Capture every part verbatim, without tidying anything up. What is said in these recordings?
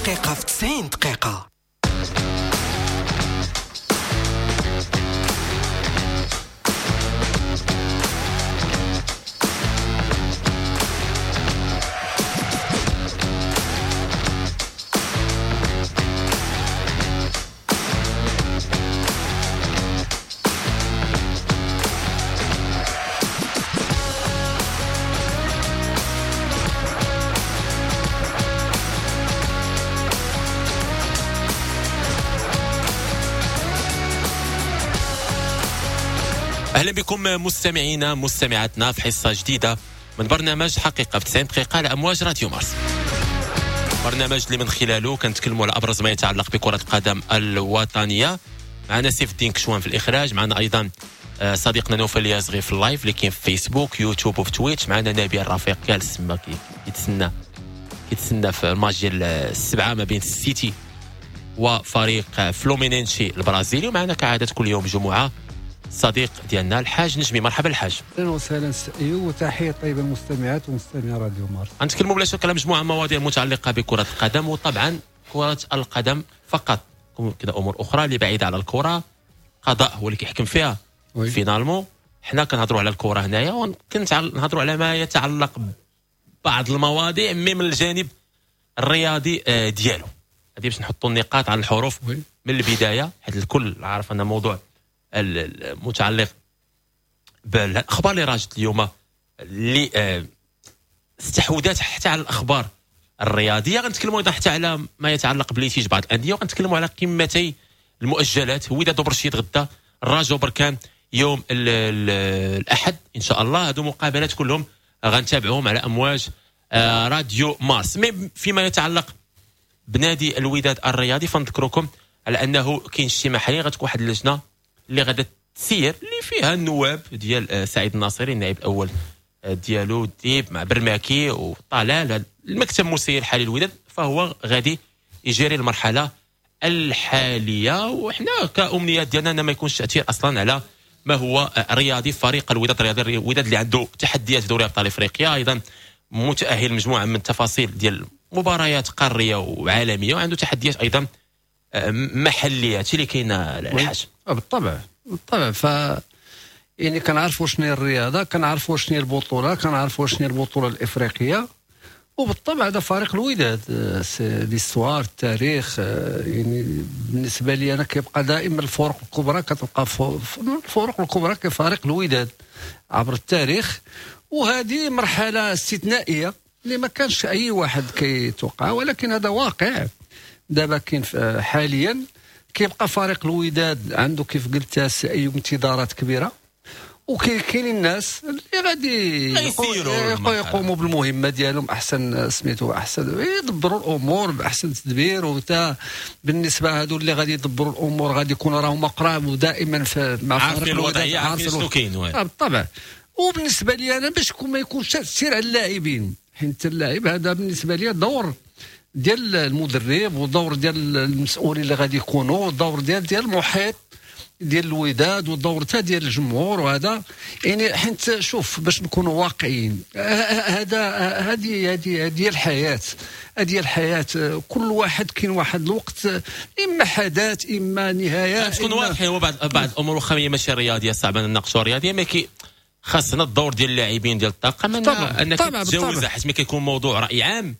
حقيقة في تسعين دقيقة. اهلا بكم مستمعينا مستمعاتنا في حصة جديدة من برنامج حقيقة في تسعين دقيقة على امواج راديو مارس. برنامج اللي من خلاله كنتكلموا على ابرز ما يتعلق بكره القدم الوطنية. معنا سيف الدين كشوان في الاخراج، معنا ايضا صديقنا نوفل يازغي في ال live اللي كاين في فيسبوك يوتيوب وفي تويتش، معنا نبيل الرفيق جالس تما كيتسنى كيتسنى في الماتش ديال السبعة ما بين السيتي وفريق فلومينينشي البرازيلي، ومعنا كعادة كل يوم جمعه صديق ديالنا الحاج نجمي. مرحبا الحاج. اهلا وسهلا سي، وتحية طيبة للمستمعات ومستمعي راديو مارس. غنتكلموا بلا شك على مجموعة من المواضيع المتعلقة بكره القدم، وطبعا كره القدم فقط، كذا امور اخرى اللي بعيدة على الكره، قضاء هو اللي كيحكم فيها finalement. حنا كنهضروا على الكره هنايا وكنهضروا على ما يتعلق ببعض المواضيع mais من الجانب الرياضي ديالو. هذه باش نحطوا النقاط على الحروف oui. من البداية، حيت الكل عارف ان موضوع المتعلق بالاخبار اللي راجت اليوم اللي استحوذت حتى على الاخبار الرياضية. غنتكلموا ايضا حتى على ما يتعلق ب litiges بعض الاندية، وغنتكلموا على قمتي المؤجلات وداد وبرشيد غدا، الرجاء وبركان يوم الاحد ان شاء الله. هادو مقابلات كلهم غنتابعوهم على امواج راديو مارس. mais فيما يتعلق بنادي الوداد الرياضي فنذكركم على انه كاين اجتماع حاليا، غتكون واحد اللجنة اللي غادا تسير اللي فيها النواب ديال سعيد الناصري النائب الاول ديالو ديب مع برماكي وطلال المكتب المسير الحالي الوداد، فهو غادي يجري المرحلة الحالية. وحنا كامنيات ديالنا ان ما يكونش تاثير اصلا على ما هو رياضي فريق الوداد الرياضي. الوداد اللي عنده تحديات في دوري ابطال افريقيا، ايضا متاهل مجموعة من التفاصيل ديال مباريات قارية وعالميه، وعنده تحديات ايضا محليه. هادشي اللي كاين الحاج. بالطبع بالطبع، ف يعني كنعرفوا شنو هي الرياضة، كنعرفوا شنو هي البطولة، كنعرفوا شنو هي البطولة الافريقية، وبالطبع هذا فريق الوداد l'histoire التاريخ. يعني بالنسبة لي انا كيبقى دائما الفرق الكبرى كتبقى الفرق الكبرى كفريق الوداد عبر التاريخ، وهذه مرحلة استثنائية اللي ما كانش اي واحد كيتوقع، ولكن هذا واقع دابا كاين حاليا. كيبقى فريق الوداد عنده كيف قلت اي انتظارات كبيرة، وكاينين الناس اللي غادي يقوموا بالمهمه ديالهم احسن سميتو احسن يدبروا الامور باحسن تدبير. وتا بالنسبة هادو اللي غادي يدبروا الامور غادي يكونوا راهم قراب ودائما مع فريق الوداد، عارفين شنو كاين. بالطبع. وبالنسبة لي انا باش ما يكونش تاثير على اللاعبين، حيت اللاعب هذا بالنسبة لي دور ديال المدرب ودور ديال المسؤولين اللي غادي يكونوا، ودور ديال ديال المحيط ديال الوداد، ودور حتى ديال الجمهور. وهذا يعني حيت شوف باش نكونوا واقعيين، هذا هذه هذه هذه الحياة، هذه الحياة كل واحد كاين واحد الوقت اما حدث اما نهايات. تكون واضحة هو بعض بعض الامور واخا هي ماشي رياضية صعب نناقشوا رياضية، ما كي خاصنا الدور ديال اللاعبين ديال الطاقم انك تتجاوزها، حيت ملي كيكون موضوع راي عام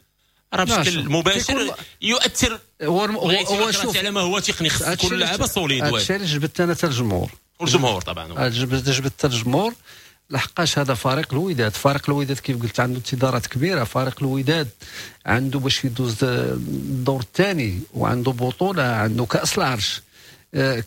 راه بشكل مباشر يؤثر هو هو شوف على ما هو تقني. خص كل لعبه solide. هادشي اللي جبدت انا حتى الجمهور، والجمهور طبعا جبدت جبدت الجمهور، لحقاش هذا فريق الوداد. فريق الوداد كيف قلت عنده انتظارات كبيرة، فريق الوداد عنده باش يدوز الدور الثاني، وعنده بطوله، عنده كاس العرش،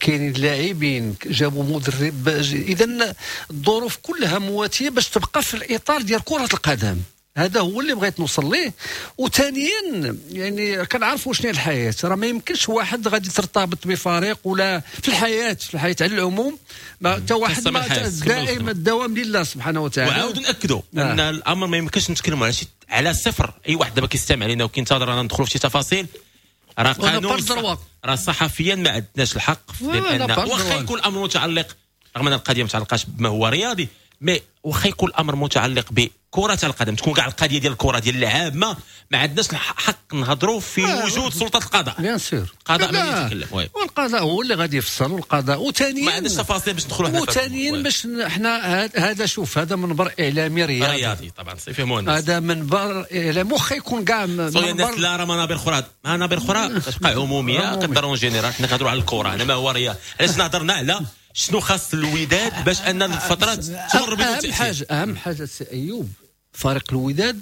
كاينين لاعبين، جابوا مدرب. اذا الظروف كلها مواتيه باش تبقى في الاطار ديال كره القدم. هذا هو اللي بغيت نوصل ليه. وثانيا يعني كنعرفوا شنو هي الحياة، راه ما يمكنش واحد غادي ترتبط بفريق ولا في الحياة، في الحياة على العموم ما حتى واحد ما دائما الدوام لله سبحانه وتعالى. وعاود ناكدوا آه. ان الامر ما يمكنش نتكلموا على شي على صفر. اي واحد دابا كيستمع لنا وكينتظر انا ندخلوا في شي تفاصيل، راه قانون راه صحفيا ما عندناش الحق، لان واخا يكون الامر متعلق رغم ان القضية ما متعلقاش بما هو رياضي، mais واخا يكون الامر متعلق بكره القدم، تكون كاع القضية ديال الكره ديال اللعاب، ما ما عندناش الحق نهضروا في آه وجود سلطة القضاء. bien sûr، القضاء ما يتكلم، والقضاء هو اللي غادي يفصل، والقضاء وثانيا ما عندناش تفاصيل باش ندخلوا حنا. وثانيا باش حنا هذا، شوف، هذا منبر اعلامي رياضي رياضي طبعا، يفهموا الناس. هذا منبر اعلامي واخا يكون كاع منبر، لا راه منابر اخرى، منابر اخرى تبقى عموميه كدار en général. حنا كنهضروا على الكره هنا، ما هو رياض. علاش نهضرنا على شنو خاص الوداد باش ان الفترات تمر؟ اهم حاجه، اهم حاجة سي ايوب، فريق الوداد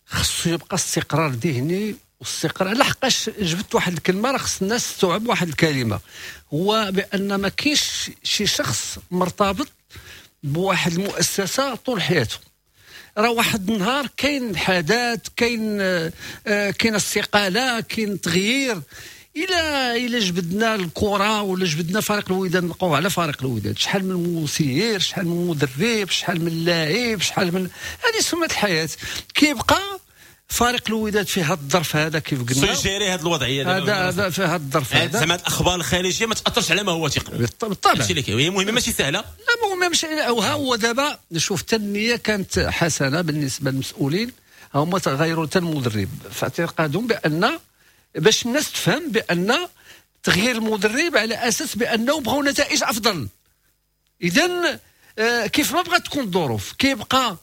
خصو يبقى استقرار ذهني واستقرار، لحقاش جبت واحد الكلمه، راه خص الناس تستوعب واحد الكلمه، هو بان ما كاينش شي شخص مرتبط بواحد المؤسسة طول حياته. راه واحد النهار كاين حدث، كاين آه كاين استقاله، كاين تغيير. الى الى جبدنا الكره ولا جبدنا فريق الوداد، نبقاو على فريق الوداد، شحال من مسير، شحال من مدرب، شحال من لاعب، شحال من هذه سنة الحياه. كيبقى فريق الوداد في هذا الظرف هذا كيف قلنا س gérer هذه الوضعيه. هذا هذا في هذا الظرف هذا زعما الاخبار الخارجية ما تاثرش على ما هو تقني. بالطبع، هادشي اللي كاين، هي مهمة ماشي سهله. لا، مهمة ماشي. وها هو دابا شوف، التنمية كانت حسنه بالنسبة للمسؤولين، هما تغيروا حتى المدرب في اعتقادهم بان باش الناس تفهم بان تغيير المدرب على اساس بانه بغاو نتائج افضل. اذا آه، كيف ما بغات تكون الظروف، كيبقى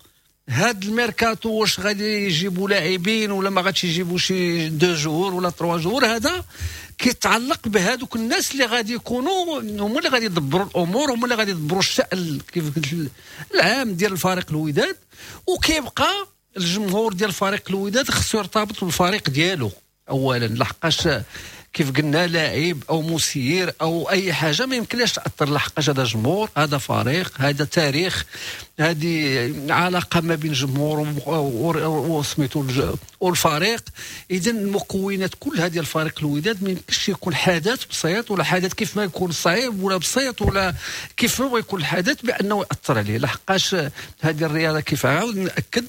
هاد الميركاتو، واش غادي يجيبوا لاعبين ولا ما غاديش يجيبوا شي deux joueurs ولا trois joueurs، هذا كيتعلق بهذوك الناس اللي غادي يكونوا هما اللي غادي يدبروا الامور، هما اللي غادي يدبروا الشان كيف قلت العام ديال الفريق الوداد. وكيبقى الجمهور ديال فريق الوداد خصو يرتبط بالفريق ديالو اولا، لحقاش كيف قلنا لاعب او مسير او اي حاجة ما يمكنلاش تاثر، لحقاش هذا جمهور، هذا فريق، هذا تاريخ، هذه علاقة ما بين جمهور وسميتو والفريق. اذا المكونات كلها ديال فريق الوداد ما يمكنش يكون حدث بسيط ولا حدث كيف ما يكون صعيب ولا بسيط ولا كيف ما يكون الحدث بانه ياثر عليه، لحقاش هذه الرياضة كيف عاود ناكد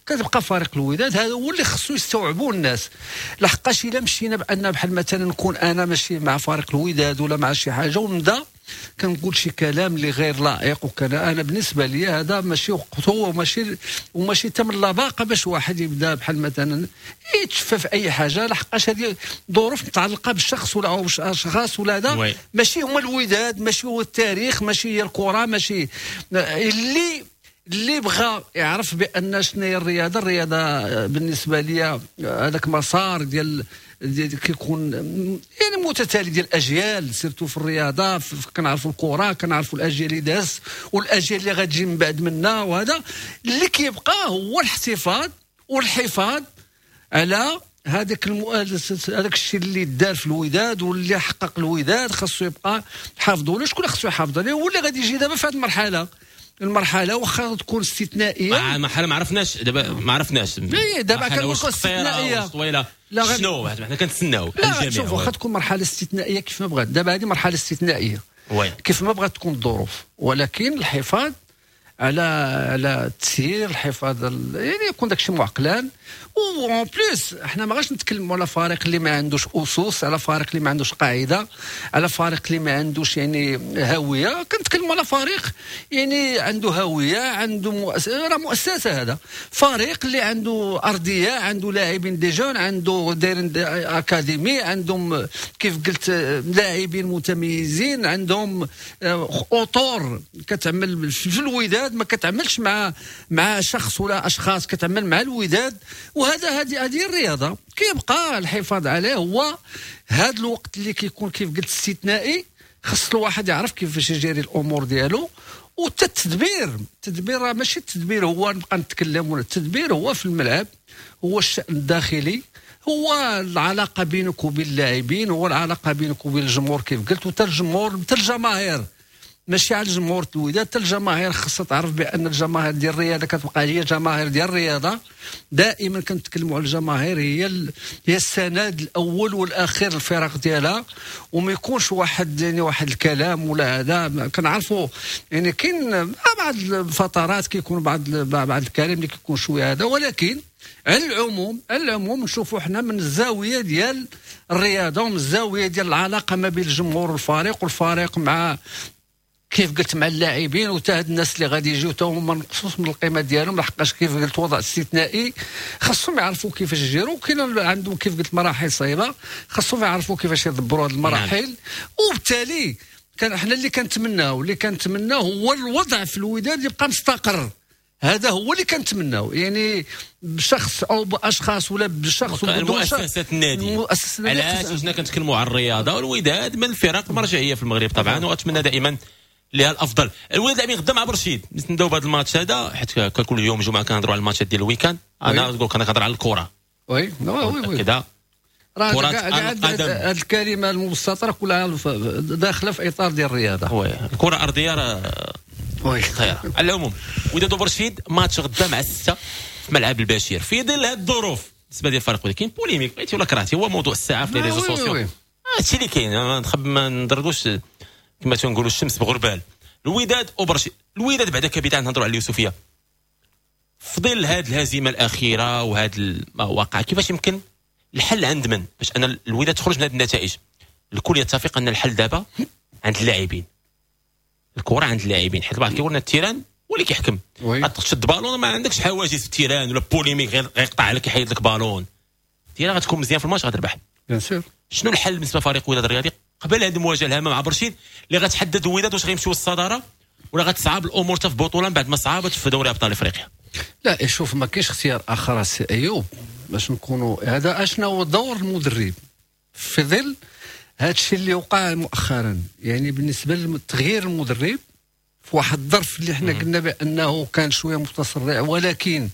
كتبقى فريق الوداد. هذا هو اللي خصو يستوعبوه الناس، لحقاش الا مشينا بان بحال مثلا نكون انا ماشي مع فريق الوداد ولا مع شي حاجة ونبدا كنقول شي كلام اللي غير لائق وكان، انا بالنسبة لي هذا ماشي وقته وماشي وماشي تم اللباقه باش واحد يبدا بحال مثلا يتشفى في اي حاجه، لحقاش هذه ظروف متعلقه بالشخص ولا او اشخاص ولا هذا، ماشي هما الوداد، ماشي هو التاريخ، ماشي هي الكره. ماشي اللي اللي بغى يعرف بان شنو هي الرياضه. الرياضة بالنسبة لي هذاك مسار ديال ديال كيكون يعني متتالي ديال الاجيال، surtout في الرياضه كنعرفوا الكره، كنعرفوا الاجيال اللي داز والاجيال اللي غتجي من بعد منا. وهذا اللي كيبقى هو الاحتفاظ والحفاظ على هذاك المو... هذاك الشيء اللي دار في الوداد واللي حقق الوداد، خاصو يبقى حافظوا له. شكون خاصو يحافظ عليه؟ هو اللي غادي يجي دابا في هذه المرحله، المرحلة واخا تكون استثنائيه. مرحلة ما عرفناش دابا، ما عرفناش. اي دابا كنقول استثنائيه. طويله. لا، شنو حنا كنتسناو؟ لا، شوف، واخا تكون مرحلة استثنائية كيف ما بغات، دابا هذه مرحلة استثنائيه، oui. كيف ما بغات تكون الظروف، ولكن الحفاظ على على التسيير، الحفاظ يعني يكون داكشي معقلان. و en plus احنا ما غاش نتكلموا على فريق اللي ما عندوش اسس، على فريق اللي ما عندوش قاعده، على فريق اللي ما عندوش يعني هويه. كنتكلموا على فريق يعني عنده هويه، عنده مؤسسه، راه مؤسسة هذا فريق اللي عنده ارضيه، عنده لاعبين des jeunes، عنده دايرين académie، عندهم كيف قلت لاعبين متميزين، عندهم اطر كتعمل في الوداد، ما كتعملش مع مع شخص ولا اشخاص، كتعمل مع الوداد. وهذا هذه هذه الرياضه، كيبقى الحفاظ عليه هو هذا الوقت اللي كيكون كيف قلت استثنائي، خص الواحد يعرف كيفاش يجري الامور ديالو. وحتى التدبير، التدبير ماشي التدبير هو نبقى نتكلم، ولا التدبير هو في الملعب، هو الشأن الداخلي، هو العلاقة بينك وبين اللاعبين، هو العلاقة بينك وبين الجمهور كيف قلت. وحتى الجمهور، حتى الجماهير، ماشي على الجمهور الوداد، حتى الجماهير خاصها تعرف بان الجماهير ديال الرياضة كتبقى هي جماهير ديال الرياضه. دائما كنتكلموا على الجماهير، هي ال... هي السند الاول والاخير للفرق ديالها، وما يكونش واحد يعني واحد الكلام ولا هذا. كنعرفوا يعني كاين بعض الفترات كيكون بعض بعض الكلام اللي كيكون شوية هذا، ولكن على العموم على العموم نشوفوا حنا من الزاوية ديال الرياضة ومن الزاوية ديال العلاقة ما بين الجمهور والفريق والفريق مع كيف قلت مع اللاعبين وتا هاد الناس اللي غادي يجيو تا هما ما نقصوش من القيمة ديالهم، لحقاش كيف قلت وضع استثنائي خاصهم يعرفوا كيفاش يجيروا. كاين عندهم كيف قلت مراحل صعيبة خاصهم يعرفوا كيفاش يدبروا هاد المراحل. نعم. وبالتالي كان احنا اللي كنتمناو اللي كنتمناو هو الوضع في الوداد يبقى مستقر، هذا هو اللي كنتمناو، يعني بشخص او باشخاص ولا بشخص ولا مؤسسة النادي. علاش حنا كنتكلموا على الرياضة والوداد من الفرق المرجعية في المغرب طبعا، واتمنى دائما لها الافضل. الوداد لاعبين غدا مع برشيد، نبداو بهذا الماتش هذا حيت كل يوم جمعه كنهضروا على الماتشات ديال ال week-end. انا نقول انا كنهضر على الكره. oui oui oui كذا راه هذه الكلمة المبسطه كلها داخله في اطار ديال الرياضة. oui الكره ارضية راه oui خير. على العموم وداد برشيد ماتش غدا مع الستة في ملعب البشير في ظل هذه الظروف بالنسبة ديال الفريق، ولكن polémique بغيتي ولا كرهتي هو موضوع الساعة في les réseaux sociaux. هادشي اللي كاين، ما نخب ما ندركوش كما تنقولوا الشمس بغربال. الوداد وبرشيد، الوداد بعدا كبداية نهضروا على اليوسفيه في ظل هذه الهزيمة الاخيرة وهذا ما وقع، كيفاش يمكن الحل عند من باش ان الوداد تخرج من هذه النتائج؟ الكل يتفق ان الحل دابا عند اللاعبين، الكره عند اللاعبين، حيت البعض كيقول لنا ال terrain هو اللي كيحكم. تشد بالون ما عندكش حواجز في ال terrain ولا polémique غير غيقطع عليك يحيد لك ballon، ال terrain غتكون مزيان في الماتش غتربح. bien sûr. شنو الحل بالنسبة لفريق الوداد الرياضي قبل هذه المواجهة الهامة مع برشيد اللي غتحدد الوداد واش غيمشيو للصداره ولا غتصعب الامور حتى في بطوله بعد ما صعبت في دوري ابطال افريقيا؟ لا شوف، ما كاينش اختيار اخر سي ايوب باش نكونوا هذا. اشنا هو دور المدرب في ظل هذا الشيء اللي وقع مؤخرا؟ يعني بالنسبة لتغيير المدرب في واحد الظرف اللي حنا قلنا بانه كان شوية متسرع، ولكن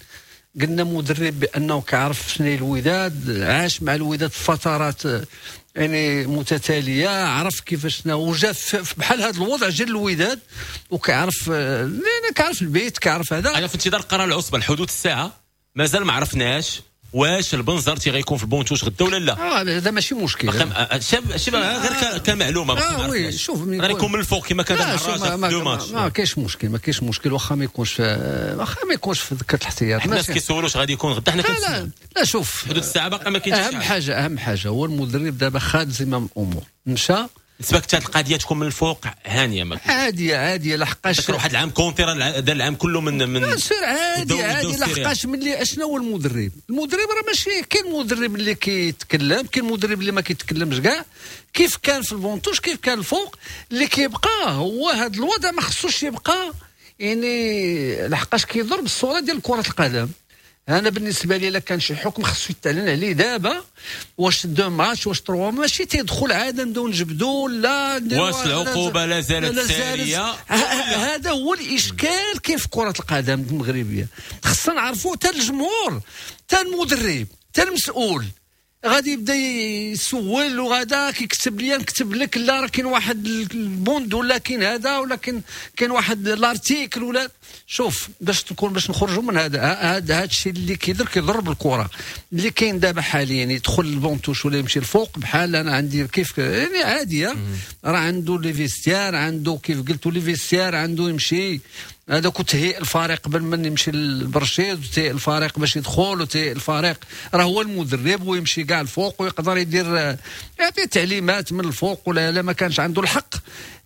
قلنا مدرب بانه كيعرف شنو هي الوداد، عاش مع الوداد في فترات يعني متتالية، عرف كيفاش وجا بحال هذا الوضع جا الوداد وكيعرف، لان كيعرف البيت كيعرف هذا. انا في انتظار قرار العصبة لحدود الساعة مازال ما عرفناش واش البنزرتي غيكون في ال banc de touche غدا ولا لا. اه هذا ماشي مشكل، شاب شاب غير كمعلومه. اه oui شوف غيكون من الفوق كما كان مع الرجاء في deux matchs. ما كاينش مشكل، ما كاينش مشكل واخا ما يكونش، واخا ما يكونش في ذكره الاحتياط. الناس كيسولوا واش غادي يكون غدا، حنا لا لا لا شوف حدود الساعة باقي ما كاينش. اهم حاجة اهم حاجة هو المدرب دابا خاد زمام الامور، مشى. بالنسبة لك القضية تكون من الفوق هانيه، ما عادية عادية لحقاش واحد العام كونتي راه دار العام كله من من سير عادي عادي لحقاش ملي اشنا هو المدرب؟ المدرب راه ماشي كاين مدرب اللي كيتكلم، كاين مدرب اللي ما كيتكلمش كاع. كيف كان في ال banc de touche كيف كان الفوق، اللي كيبقى هو هذا الوضع ما خصوش يبقى، يعني لحقاش كيضر بالصورة ديال كره القدم. انا بالنسبة لي الا كان شي حكم خصو يتعلن عليه دابا، واش deux matchs واش trois، ماشي تيدخل عادة نبداو نجبدو لا واش العقوبة لا زالت ساريه. هذا هو الاشكال كيف كره القدم المغربية، خصنا نعرفوا حتى الجمهور حتى المدرب حتى المسؤول غادي يبدا يسول وغادا كيكتب لي نكتب لك لا راه كاين واحد البوند ولا كاين هذا ولا كاين كاين واحد l'article ولا. شوف باش تكون باش نخرجوا من هذا هذا هذا الشيء اللي كيضر كيضر بالكرة اللي كاين دابا حاليا، يدخل ال banc de touche ولا يمشي الفوق بحال انا عندي كيف يعني عادية، راه عنده les vestiaires، عنده كيف قلتوا les vestiaires، عنده يمشي هذاك تهيئ الفريق قبل من يمشي للبرشيد، وتهيئ الفريق باش يدخل، وتهيئ الفريق راه هو المدرب ويمشي كاع الفوق ويقدر يدير يعطي تعليمات من الفوق، ولا لا ما كانش عنده الحق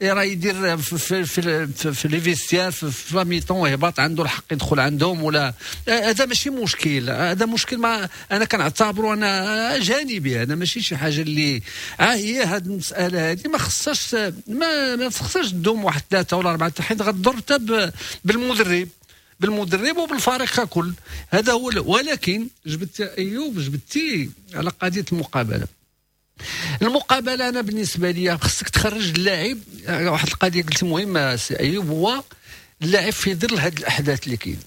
راه يدير في في في, في, في les vestiaires في, في la mi-temps يهبط عنده الحق يدخل عندهم ولا. هذا ماشي مشكل، هذا مشكل ما انا كنعتبره انا جانبي، انا ماشي شي حاجة اللي ها هي هذه المسالة هذه ما خصهاش ما ما خصهاش تدوم واحد ثلاثة ولا اربعة حيت غتضر حتى بالمدرب بالمدرب وبالفريق ككل. هذا هو. ولكن جبت ايوب جبتي على قضية المقابلة. المقابلة انا بالنسبة لي خصك تخرج اللاعب. واحد القضية قلت مهمة سي ايوب، هو اللاعب في ظل هذه الاحداث اللي كاين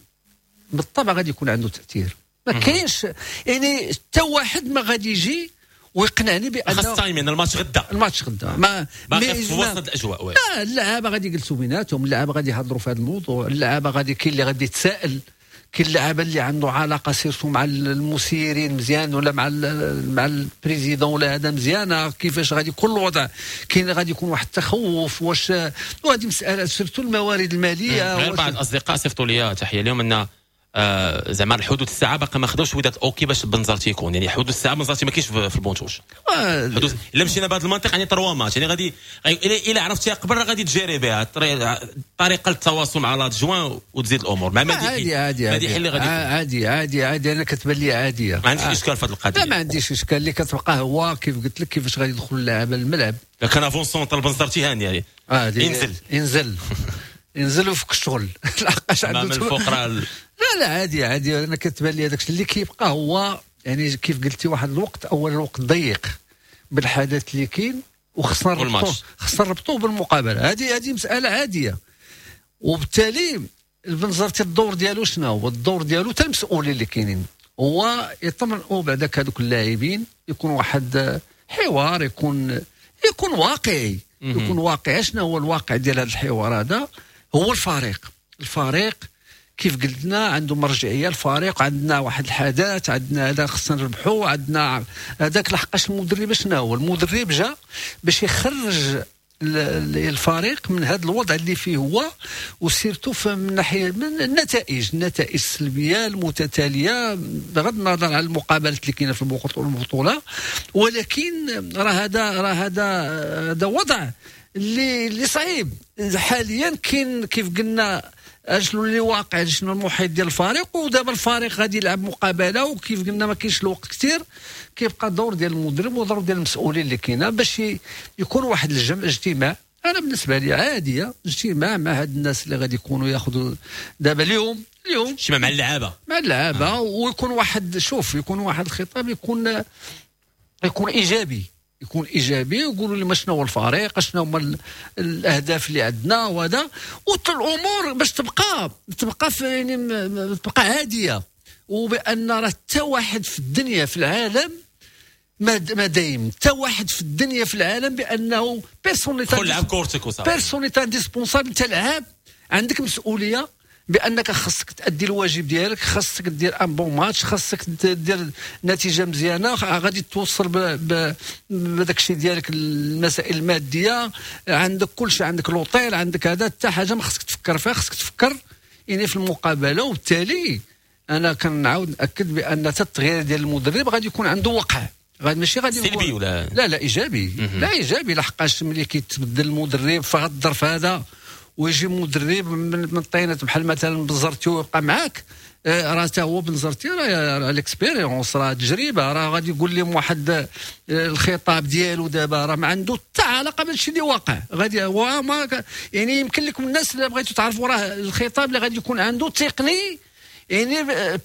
بالطبع غادي يكون عنده تاثير. ما كاينش يعني حتى واحد ما غادي يجي ويقنعني بان خاص timing الماتش غدا، الماتش غدا ما باقي في وسط الاجواء. لا اللعابه غادي يجلسوا بيناتهم، اللعابه غادي يهضروا في هذا الموضوع، اللعابه غادي كاين اللي غادي يتساءل، كاين اللعابه اللي عنده علاقة surtout مع المسيرين مزيان ولا مع مع ال président ولا هذا مزيانه، كيفاش غادي يكون الوضع، كاين غادي يكون واحد التخوف واش، وهذه مسالة surtout الموارد المالية. غير بعض الاصدقاء صيفطوا لي تحية اليوم ان آه زعما الحدود الساعة باقي ما خداوش وداد OK باش بنزرتي يكون، يعني حدود الساعة بنزرتي ما كاينش في البونتوش. حدود الا مشينا بهذا المنطق يعني trois matchs، يعني غادي الا عرفتيها قبل راه غادي تجاري بها طريقه التواصل مع l'adjoint وتزيد الامور مع مديحي. عادي عادي مديحي اللي غادي عادي عادي عادي انا كتبان لي عادية، ما عنديش اشكال في هذه القضية. لا ما عنديش اشكال، اللي كتبقى هو كيف قلت لك كيفاش غادي يدخل اللاعب للملعب. كان avant-centre بنزرتي هاني يعني ينزل ينزل ينزل وفك الشغل لحقاش عنده من الفوق راه لا لا عادي عادي. انا كتبان لي هذاك اللي كيبقى هو يعني كيف قلتي واحد الوقت، اول الوقت ضيق بالحدث اللي كاين وخصنا نربطوه خصنا نربطوه بالمقابلة. هذه هذه مسالة عادية، وبالتالي البنزرتي الدور ديالو شنو هو؟ الدور ديالو حتى المسؤولين اللي كاينين هو يطمئنوا بعداك هذوك اللاعبين، يكون واحد حوار، يكون يكون واقعي، يكون واقعي. شنو هو الواقع ديال هذا الحوار هذا؟ هو الفريق، الفريق كيف قلنا عنده مرجعية، الفريق عندنا واحد الحدث، عندنا هذا خصنا نربحو، عندنا هذاك. لحقاش المدرب شنو هو؟ المدرب جا باش يخرج الفريق من هذا الوضع اللي فيه هو، و surtout من ناحية من النتائج، النتائج السلبية المتتالية بغض النظر على المقابلات اللي كاينه في البطولة، ولكن راه هذا راه هذا هذا وضع اللي اللي صعيب حاليا. كاين كيف قلنا شنو اللي واقع، شنو المحيط ديال الفريق، ودابا الفريق غادي يلعب مقابله، وكيف قلنا ما كاينش الوقت كثير. كيبقى الدور ديال المدرب ودور ديال المسؤولين اللي كاينه باش يكون واحد الجمع اجتماع. انا بالنسبة لي عادية اجتماع مع هاد الناس اللي غادي يكونوا ياخذوا دابا اليوم اليوم اجتماع مع اللعابه مع اللعابه آه. ويكون واحد شوف يكون واحد الخطاب يكون يكون ايجابي، يكون ايجابي، ويقولوا لي شنو هو الفريق، شنو هما الاهداف اللي عندنا وهذا، والامور باش تبقى تبقى في يعني تبقى عادية، وبان راه حتى واحد في الدنيا في العالم ما ما دايم، حتى واحد في الدنيا في العالم بانه personne n'est لعب كورتك وصافي، personne n'est indispensable. انت لعاب عندك مسؤولية بانك خاصك تادي الواجب ديالك، خاصك دير un bon match، خاصك دير نتيجة مزيانه، غادي توصل بهذاك الشيء ديالك المسائل المادية، عندك كل شيء، عندك لوطيل، عندك هذا، حتى حاجة ما خاصك تفكر فيها، خاصك تفكر يعني في المقابلة. وبالتالي انا كنعاود ناكد بان حتى التغيير ديال المدرب غادي يكون عنده وقع، غادي ماشي غادي سلبي ولا لا لا ايجابي، لا ايجابي، لحقاش ملي كيتبدل المدرب في هذا الظرف هذا ويجي مدرب من الطينات بحال مثلا بنزرتي ويبقى معاك، راه حتى هو بنزرتي راه l'expérience، راه تجربه، راه غادي يقول لهم واحد الخطاب ديالو دابا راه ما عنده حتى علاقة بهادشي اللي واقع. غادي هو ما يعني يمكن لكم الناس اللي بغيتو تعرفوا راه الخطاب اللي غادي يكون عنده تقني، يعني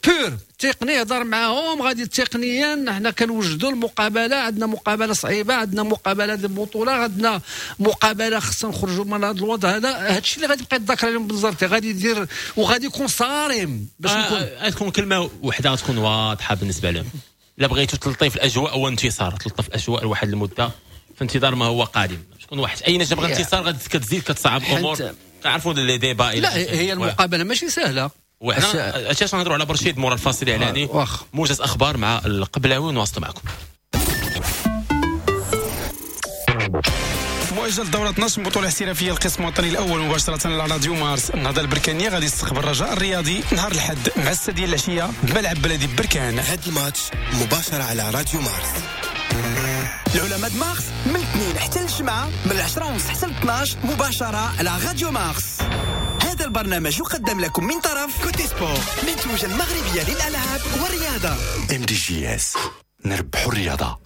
pur تقني، هضر معاهم غادي تقنيا حنا كنوجدوا المقابلة، عندنا مقابله صعيبة، عندنا مقابله ديال البطولة، عندنا مقابله خصنا نخرجوا من هذا الوضع هذا. هذا الشيء اللي غادي يبقى يتذكر عليهم بنزرتي، غادي يدير وغادي يكون صارم باش نكون آه تكون كلمة وحده تكون واضحة بالنسبة لهم. الا بغيتوا تلطيف الاجواء هو انتصار، تلطف الاجواء لواحد المدة في انتظار ما هو قادم. شكون واحد اي نجم بغى انتصار غادي كتزيد كتصعب الامور، تعرفوا les débats. لا هي المقابلة ماشي سهلة. وحنا اش نهضروا على برشيد مورا الفاصل الاعلاني، موجز اخبار مع القبلاوي ونواصلوا معكم. مؤجل دورة اثناش من بطولة احترافية القسم الوطني الأول مباشرة على راديو مارس. النهضة البركانية غادي يستقبل الرجاء الرياضي نهار الأحد مع الستة ديال العشية بملعب بلدي بركان. هذا الماتش مباشرة على راديو مارس. العلماء مارس من الاثنين حتى الجمعة من العشرة ونص حتى الاثناش مباشرة على راديو مارس. هذا البرنامج يقدم لكم من طرف كوتي سبور، منتوجة المغربية للألعاب والرياضة. ام دي جي اس، نربحوا الرياضة.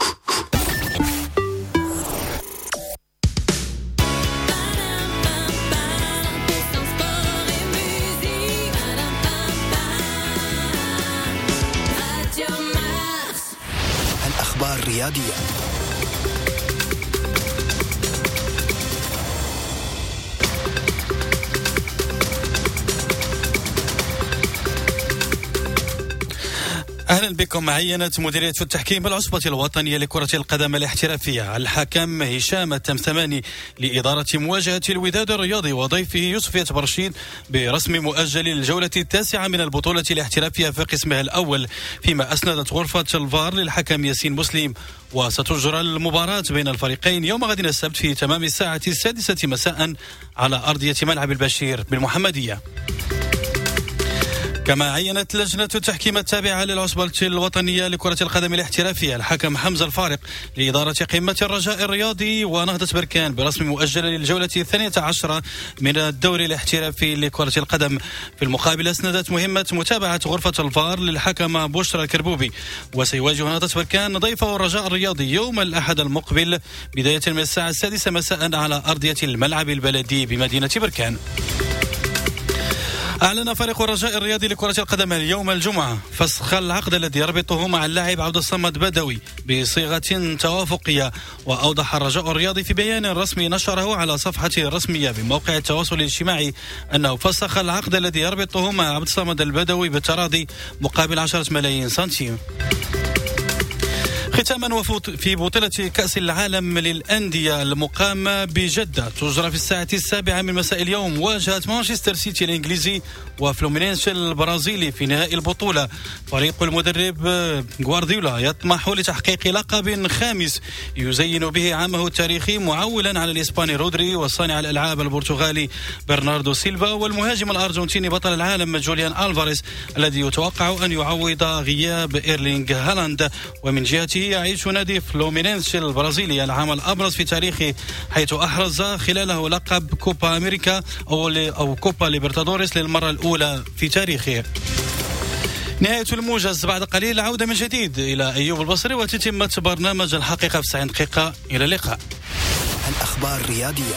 الأخبار الرياضية. أهلا بكم. عينت مديرية التحكيم بالعصبة الوطنية لكرة القدم الاحترافية الحكم هشام التمثماني لإدارة مواجهة الوداد الرياضي وضيفه يوسف برشيد برسم مؤجل للجولة التاسعة من البطولة الاحترافية في قسمها الأول، فيما أسندت غرفة الفار للحكم ياسين مسلم. وستجرى المباراة بين الفريقين يوم غد السبت في تمام الساعة السادسة مساء على أرضية ملعب البشير بالمحمدية. كما عينت لجنة التحكيم التابعة للعصبة الوطنية لكرة القدم الاحترافية الحكم حمزة الفارق لإدارة قمة الرجاء الرياضي ونهضة بركان برسم مؤجلة للجولة الثانية عشرة من الدوري الاحترافي لكرة القدم. في المقابل أسندت مهمة متابعة غرفة الفار للحكم بشرى الكربوبي. وسيواجه نهضة بركان ضيفه الرجاء الرياضي يوم الأحد المقبل بداية من الساعة السادسة مساء على أرضية الملعب البلدي بمدينة بركان. أعلن فريق الرجاء الرياضي لكرة القدم اليوم الجمعة فسخ العقد الذي يربطه مع اللاعب عبد الصمد بدوي بصيغة توافقية. وأوضح الرجاء الرياضي في بيان رسمي نشره على صفحته الرسمية بموقع التواصل الاجتماعي أنه فسخ العقد الذي يربطه مع عبد الصمد البدوي بالتراضي مقابل عشرة ملايين سنتيم. ختاما في بطولة كأس العالم للأندية المقامة بجدة تجرى في الساعة السابعة من مساء اليوم مواجهة مانشستر سيتي الإنجليزي وفلومينينسي البرازيلي في نهائي البطولة. فريق المدرب غوارديولا يطمح لتحقيق لقب خامس يزين به عامة التاريخي، معولا على الإسباني رودري وصانع الألعاب البرتغالي برناردو سيلفا والمهاجم الأرجنتيني بطل العالم جوليان ألفاريز الذي يتوقع أن يعوض غياب إيرلينغ هالاند. ومن جهته يعيش نادي فلومينينسي البرازيلي العام الأبرز في تاريخه، حيث أحرز خلاله لقب كوبا أمريكا أو, أو كوبا ليبرتادوريس للمرة الأولى في تاريخه. نهاية الموجز بعد قليل، عودة من جديد إلى أيوب البصري وتتمة برنامج الحقيقة في تسعين دقيقة. إلى اللقاء. الأخبار الرياضية.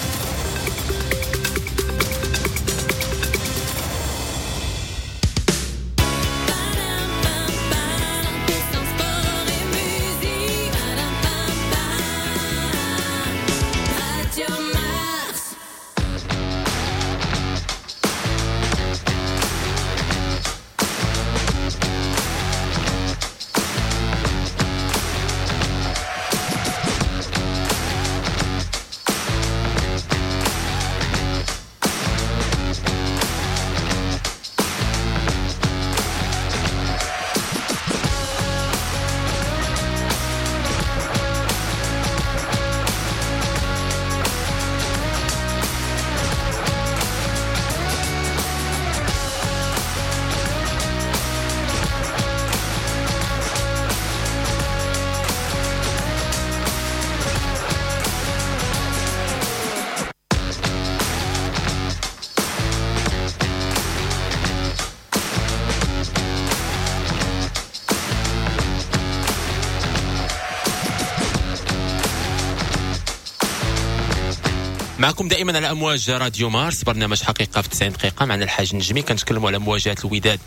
معكم دائما على امواج راديو مارس، برنامج حقيقة في تسعين دقيقة. معنا الحاج النجمي، كنتكلموا على مواجهة الوداد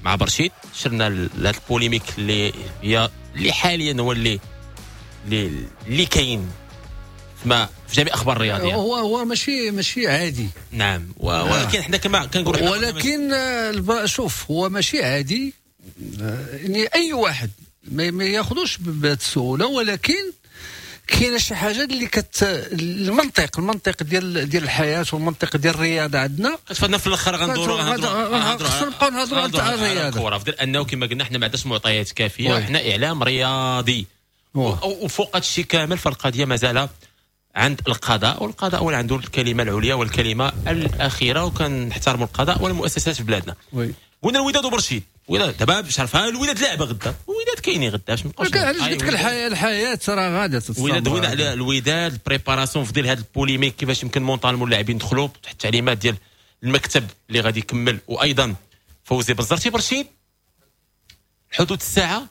مع برشيد. شرنا لهذا ال polémique اللي هي اللي حاليا هو اللي اللي كاين ما في جميع اخبار الرياضية. هو هو ماشي ماشي عادي. نعم، ولكن حنا كما كنقولوا، ولكن شوف هو ماشي عادي، يعني اي واحد ما ياخذوش بهذه السهولة، ولكن كاينه شي حاجة اللي كت المنطق المنطق ديال ديال الحياة والمنطق ديال الرياضة عندنا كتفادنا في الاخر غندوروا غندوروا خصنا نبقاو نهضروا على الرياضة. الكره فدير انه كما قلنا حنا ما عندناش معطيات كافيه، حنا اعلام رياضي، وفوق هادشي كامل فالقضية مازال عند القضاء، والقضاء هو اللي عنده الكلمة العليا والكلمة الاخيرة، وكنحترموا القضاء والمؤسسات في بلادنا. قلنا الوداد وبرشيد، الوداد دابا باش عرفها الوداد لعبه غدا، الوداد كاينين غدا باش ما نبقاوش. علاش قلت لك الحياة الحياة راه غاده تستمر. الوداد دوينا على الوداد ال préparation في ديال هذا ال polémique كيفاش يمكن mentalement اللاعبين يدخلوا تحت التعليمات ديال المكتب اللي غادي يكمل، وايضا فوزي بزرتي برشيد حدود الساعة.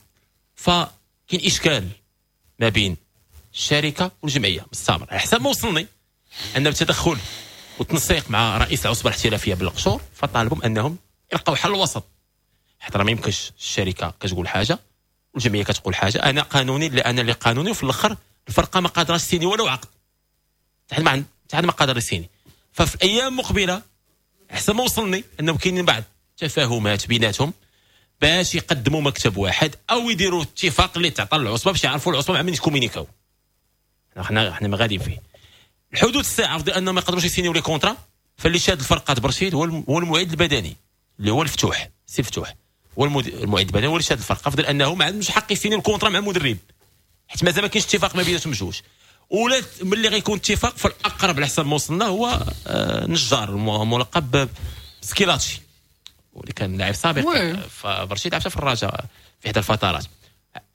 فكاين اشكال ما بين الشركة والجمعية مستمر على حسب ما وصلني ان بتدخل والتنسيق مع رئيس العصبة الاحترافية بالقشور، فطالبهم انهم يلقاو حل وسط، حتى راه ما يمكنش الشركة كتقول حاجة والجمعية كتقول حاجة. انا قانوني لا انا اللي قانوني، وفي الاخر الفرقة ما قادراش تسيني ولو عقد، حتى ما عند حتى ما قادر يسيني. ففي الايام المقبلة حسب ما وصلني انه كاينين بعض التفاهمات بيناتهم باش يقدموا مكتب واحد او يديروا اتفاق اللي تعطى للعصبه باش يعرفوا العصبة مع من يكومينيكاو. حنا حنا ما غاديين فيه الحدود الساعة في انهم ما يقدروش يسينيو les contrats. فاللي شاد الفرقة برشيد هو المعد البدني اللي هو الفتوح، سي فتوح هو المعد البدني هو اللي شاد الفرقة، فضل انه ما عندوش حق يسيني ال contrat مع المدرب حيت مازال ما كاينش اتفاق ما بيناتهم بجوج. ولا ملي غيكون اتفاق فالاقرب على حسب ما وصلنا هو نجار الملقب سكيلاتشي، واللي كان لاعب سابق في برشيد، لعب في الرجاء في احدى الفترات.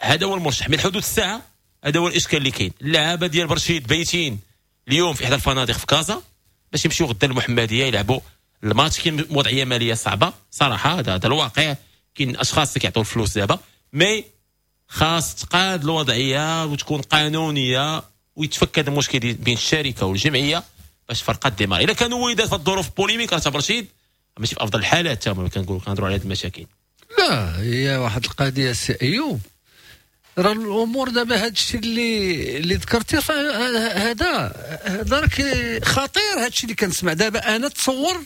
هذا هو المرشح من حدود الساعة. هذا هو الاشكال اللي كاين. اللعابه ديال برشيد بايتين اليوم في احدى الفنادق في كازا باش يمشيو غدا المحمدية يلعبوا الماتش. كاين وضعية ماليه صعبة صراحة، هذا هذا الواقع. كاين اشخاص اللي كيعطوا الفلوس دابا، mais خاص تقاد الوضعية وتكون قانونية ويتفك هذا المشكل بين الشركة والجمعية باش فرقه démarrer. الا كانوا وداد في الظروف polémique، راه برشيد ماشي في افضل الحالات تما كنقولوا كنهضروا على هذه المشاكل. لا، هي واحد القضية سي ايوب، راه الامور دابا هذا الشيء اللي اللي ذكرتي هذا هذا راه خطير. هذا الشيء اللي كنسمع دابا انا تصور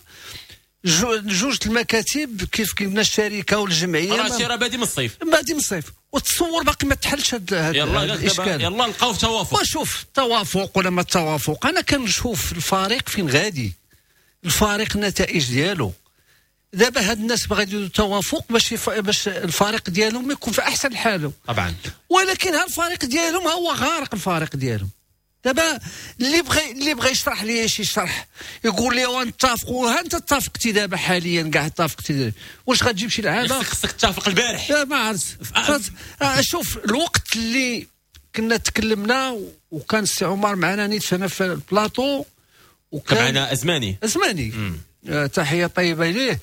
جوج المكاتب كيف قلنا الشركة والجمعية، راه راه بادي من الصيف، بادي من الصيف، وتصور باقي ما تحلش هذا الاشكال. يلا لقاو في توافق. وشوف التوافق ولا ما التوافق، انا كنشوف الفريق فين غادي، الفريق النتائج ديالو. دابا هاد الناس باغي يديروا توافق باش يف... باش الفريق ديالهم يكون في احسن حاله طبعا، ولكن ها الفريق ديالهم هو غارق. الفريق ديالهم دابا اللي بغى اللي بغى يشرح لي شي شرح يقول لي ونتفقوا، ها انت اتفقتي دابا حاليا كاع اتفقتي، واش غتجيب شي لعابه؟ خصك تتفق البارح. لا ما عرفت. شوف الوقت اللي كنا تكلمنا وكان السي عمر معنا نيت هنا في البلاطو، وكان معنا ازماني ازماني آه تحية طيبة ليه.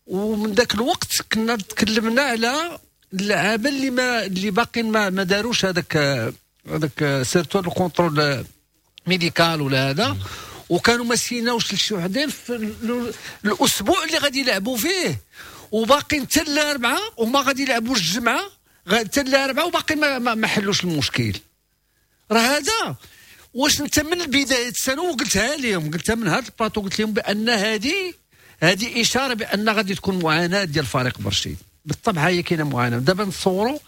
ومن ذاك الوقت كنا تكلمنا على اللعابه اللي ما اللي باقيين ما, ما داروش هذاك هذاك surtout ال contrôle médical ولا هذا، وكانوا ما سيناوش لشي وحدين في الاسبوع اللي غادي يلعبوا فيه، وباقيين حتى الاربعة وما غادي يلعبوش الجمعة حتى الاربعة، وباقي ما, ما حلوش المشكل. راه هذا واش انت من بداية السنة وقلتها لهم، قلتها من هذا البلاطو، قلت لهم بان هذه هذه اشارة بان غادي تكون معاناة ديال فريق برشيد. بالطبع هي كاينه معاناة. دابا نتصوروا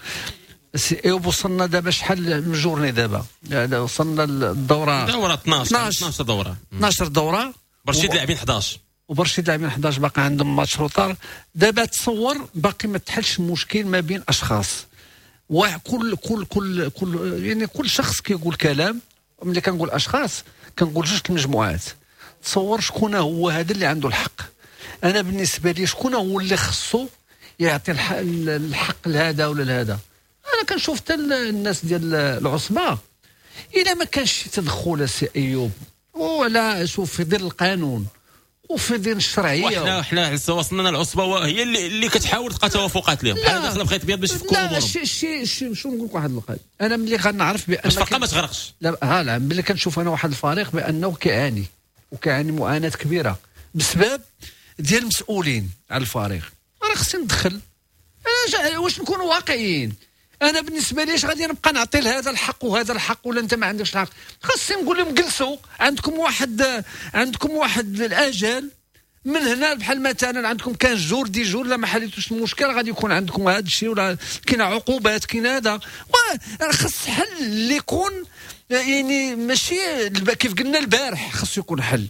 وصلنا دابا شحال من journée دابا، يعني وصلنا للدورة دوره اثناش اثناش دوره اثناش دوره، برشيد لاعبين احد عشر، وبرشيد لاعبين احد عشر باقي عندهم match retard. دابا تصور باقي ما تحلش المشكل ما بين اشخاص، وكل كل كل كل يعني كل شخص كيقول كلام. ملي كنقول اشخاص كنقول جوج المجموعات. تصور شكون هو هذا اللي عنده الحق. انا بالنسبة لي شكون هو اللي خصو يعطي الحق لهذا ولا لهذا. انا كنشوف حتى الناس ديال العصبة الا ما كانش شي تدخل السي ايوب ولا شوف في ظل القانون وفي ظل الشرعية، وحنا حنا وصلنا العصبة هي اللي, اللي كتحاول تلقى توافقات لهم بحال داخله بخيط ابيض باش يفكوا امورهم. لا شي شي شي شو نقول لك واحد القضية، انا ملي غنعرف بان الفرقة ما تغرقش. لا ها لا، ملي كنشوف انا واحد الفريق بانه كيعاني وكيعاني معاناة كبيرة بسبب ديال المسؤولين على الفريق، راه خصني ندخل. انا واش نكونوا واقعيين، انا بالنسبة لي اش غادي نبقى نعطي لهذا الحق وهذا الحق ولا انت ما عندكش الحق؟ خاصني نقول لهم جلسوا، عندكم واحد عندكم واحد الاجل من هنا، بحال مثلا عندكم quinze jours dix jours، لا ما حليتوش المشكل غادي يكون عندكم هذا الشيء، ولا كاين عقوبات كاين هذا. خاص حل اللي يكون يعني ماشي كيف قلنا البارح، خاص يكون حل.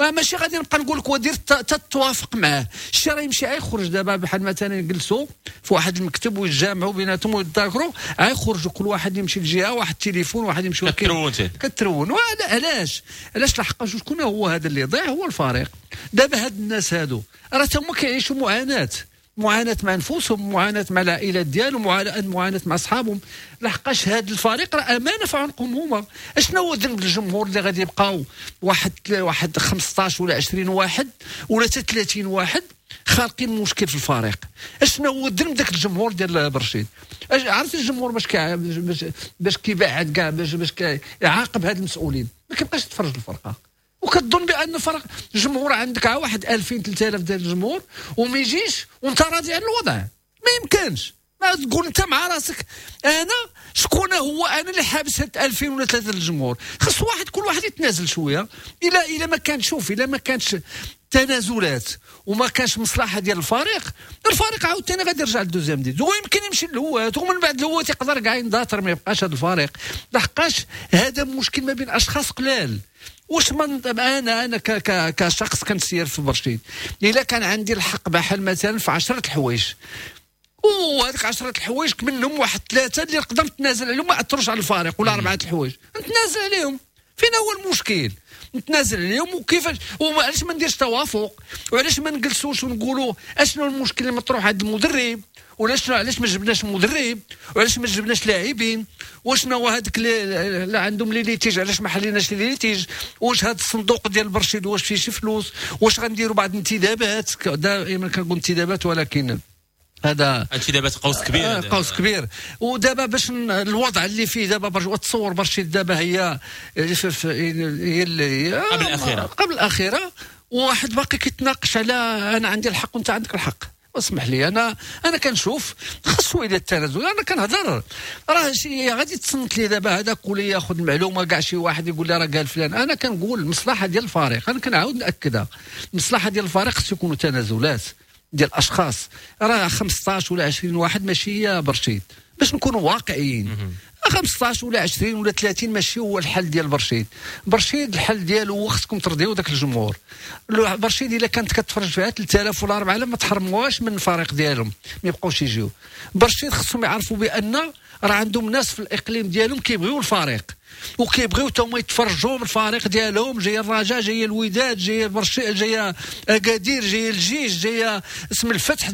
ماشي غادي نبقى نقول لك ودير تتوافق معاه، الشيء راه يمشي غيخرج دابا. بحال مثلا يجلسوا في واحد المكتب ويتجامعوا بيناتهم ويتذاكروا، غيخرجوا كل واحد يمشي لجهة، واحد التليفون واحد يمشي كترون كترون. علاش علاش لحقاش شكون هو هذا اللي يضيع؟ هو الفريق. دابا هاد الناس هادو راه هما كيعيشوا معاناة، معاناة مع نفوسهم، معاناة مع العائلات ديالهم، معاناة مع اصحابهم. لحقاش هذا الفريق راه امانه في عنقهم هما. اشنو هو ذنب الجمهور اللي غادي يبقاو واحد واحد خمسطاش ولا عشرين واحد ولا حتى ثلاثين واحد خالقين مشكل في الفريق؟ اشنو هو ذنب داك الجمهور ديال برشيد؟ عرفت الجمهور باش كي باش باش كيبعد كاع باش باش كيعاقب هاد المسؤولين، ما كيبقاش يتفرج الفرقة. وكتظن بان فرق الجمهور عندك واحد ألفين ثلاثة آلاف ديال الجمهور وما يجيش وانت راضي على الوضع، ما يمكنش. ما تقول انت مع راسك انا شكون هو انا اللي حابس هاد ألفين ولا ثلاثة الجمهور؟ خص واحد كل واحد يتنازل شوية. الى الى ما كان شوف الى ما كانش تنازلات وما كانش مصلحة ديال الفريق، الفريق عاوتاني غادي يرجع لل deuxième division ويمكن يمشي للهوات، ومن بعد الهوات يقدر كاع يندثر ما يبقاش هذا الفريق. لحقاش هذا مشكل ما بين اشخاص قلال. واش من انا انا كشخص كنسير في برشيد، الا كان عندي الحق بحال مثلا في عشرة الحوايج، وهذيك عشرة الحوايج منهم واحد ثلاثة اللي نقدر نتنازل عليهم ما اثروش على الفريق، ولا اربعة الحوايج نتنازل عليهم. فين هو المشكل؟ نتنازل عليهم وكيفاش؟ وعلاش ما نديرش توافق؟ وعلاش ما نجلسوش ونقولوا اشنو المشكل اللي مطروح عند المدرب؟ ولا شنو علاش ما جبناش مدرب؟ وعلاش ما جبناش لاعبين؟ وشنو هو هذاك اللي عندهم les litiges علاش ما حليناش les litiges؟ واش هذا الصندوق ديال برشيد واش فيه شي فلوس؟ واش غنديروا بعض الانتدابات؟ دائما كنقول انتدابات ولكن هذا انتدابات قوس كبير، آه قوس كبير. ودابا باش الوضع اللي فيه دابا برش... تصور برشيد دابا هي هي قبل الاخيرة، قبل الاخيرة، وواحد باقي كيتناقش على انا عندي الحق وانت عندك الحق. اسمح لي انا انا كنشوف خاصو الى التنازل. انا كنهضر راه شي غادي تصنت لي دابا هذاك ولا ياخذ المعلومة كاع شي واحد يقول لي راه قال فلان. انا كنقول المصلحة ديال الفريق، انا كنعاود ناكدها، المصلحة ديال الفريق خص يكونوا تنازلات ديال الاشخاص. راه خمسطاش ولا عشرين واحد ماشي هي برشيد، باش نكونوا واقعيين. خمسطاش ولا عشرين ولا ثلاثين ماشي هو الحل ديال برشيد. برشيد الحل ديالو هو خصكم ترضيو داك الجمهور. برشيد الا كانت كتفرج فيها ثلاثة آلاف ولا أربعة آلاف ما تحرموهاش من الفريق ديالهم، ما يبقاوش يجيو. برشيد خصهم يعرفوا بان راه عندهم ناس في الاقليم ديالهم كيبغيو الفريق وكيبغيو تا هما يتفرجوا بالفريق ديالهم. جاي الرجاء، جاي الوداد، جاي برشيد، جاي اكادير، جاي الجيش، جاي اسم الفتح،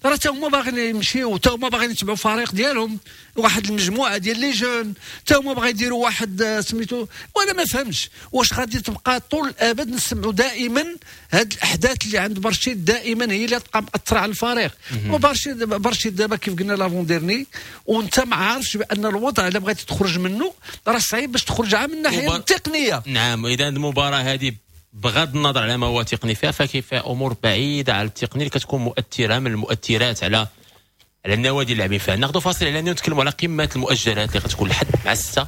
راه تا هما باغيين يمشيو، تا هما باغيين يتبعوا الفريق ديالهم. واحد المجموعة ديال les jeunes تا هما باغي يديروا واحد سميتو. وانا ما فهمتش واش غادي تبقى طول الابد نسمعوا دائما هاد الاحداث اللي عند برشيد دائما هي اللي تبقى مأثره على الفريق. وبرشيد برشيد دابا كيف قلنا l'avant-dernier، وانت ما عارفش بان الوضع الا بغيتي تخرج منه راه صعيب باش تخرج من الناحية التقنية. نعم، اذا المباراة هذه بغض النظر على ما هو تقني فيها، فكيف امور بعيدة على التقني اللي كتكون مؤثرة من المؤثرات على على النوادي اللي لاعبين فيها. ناخذ فاصل اعلاني ونتكلموا على قمة المؤجلات اللي غتكون الحد مع الستة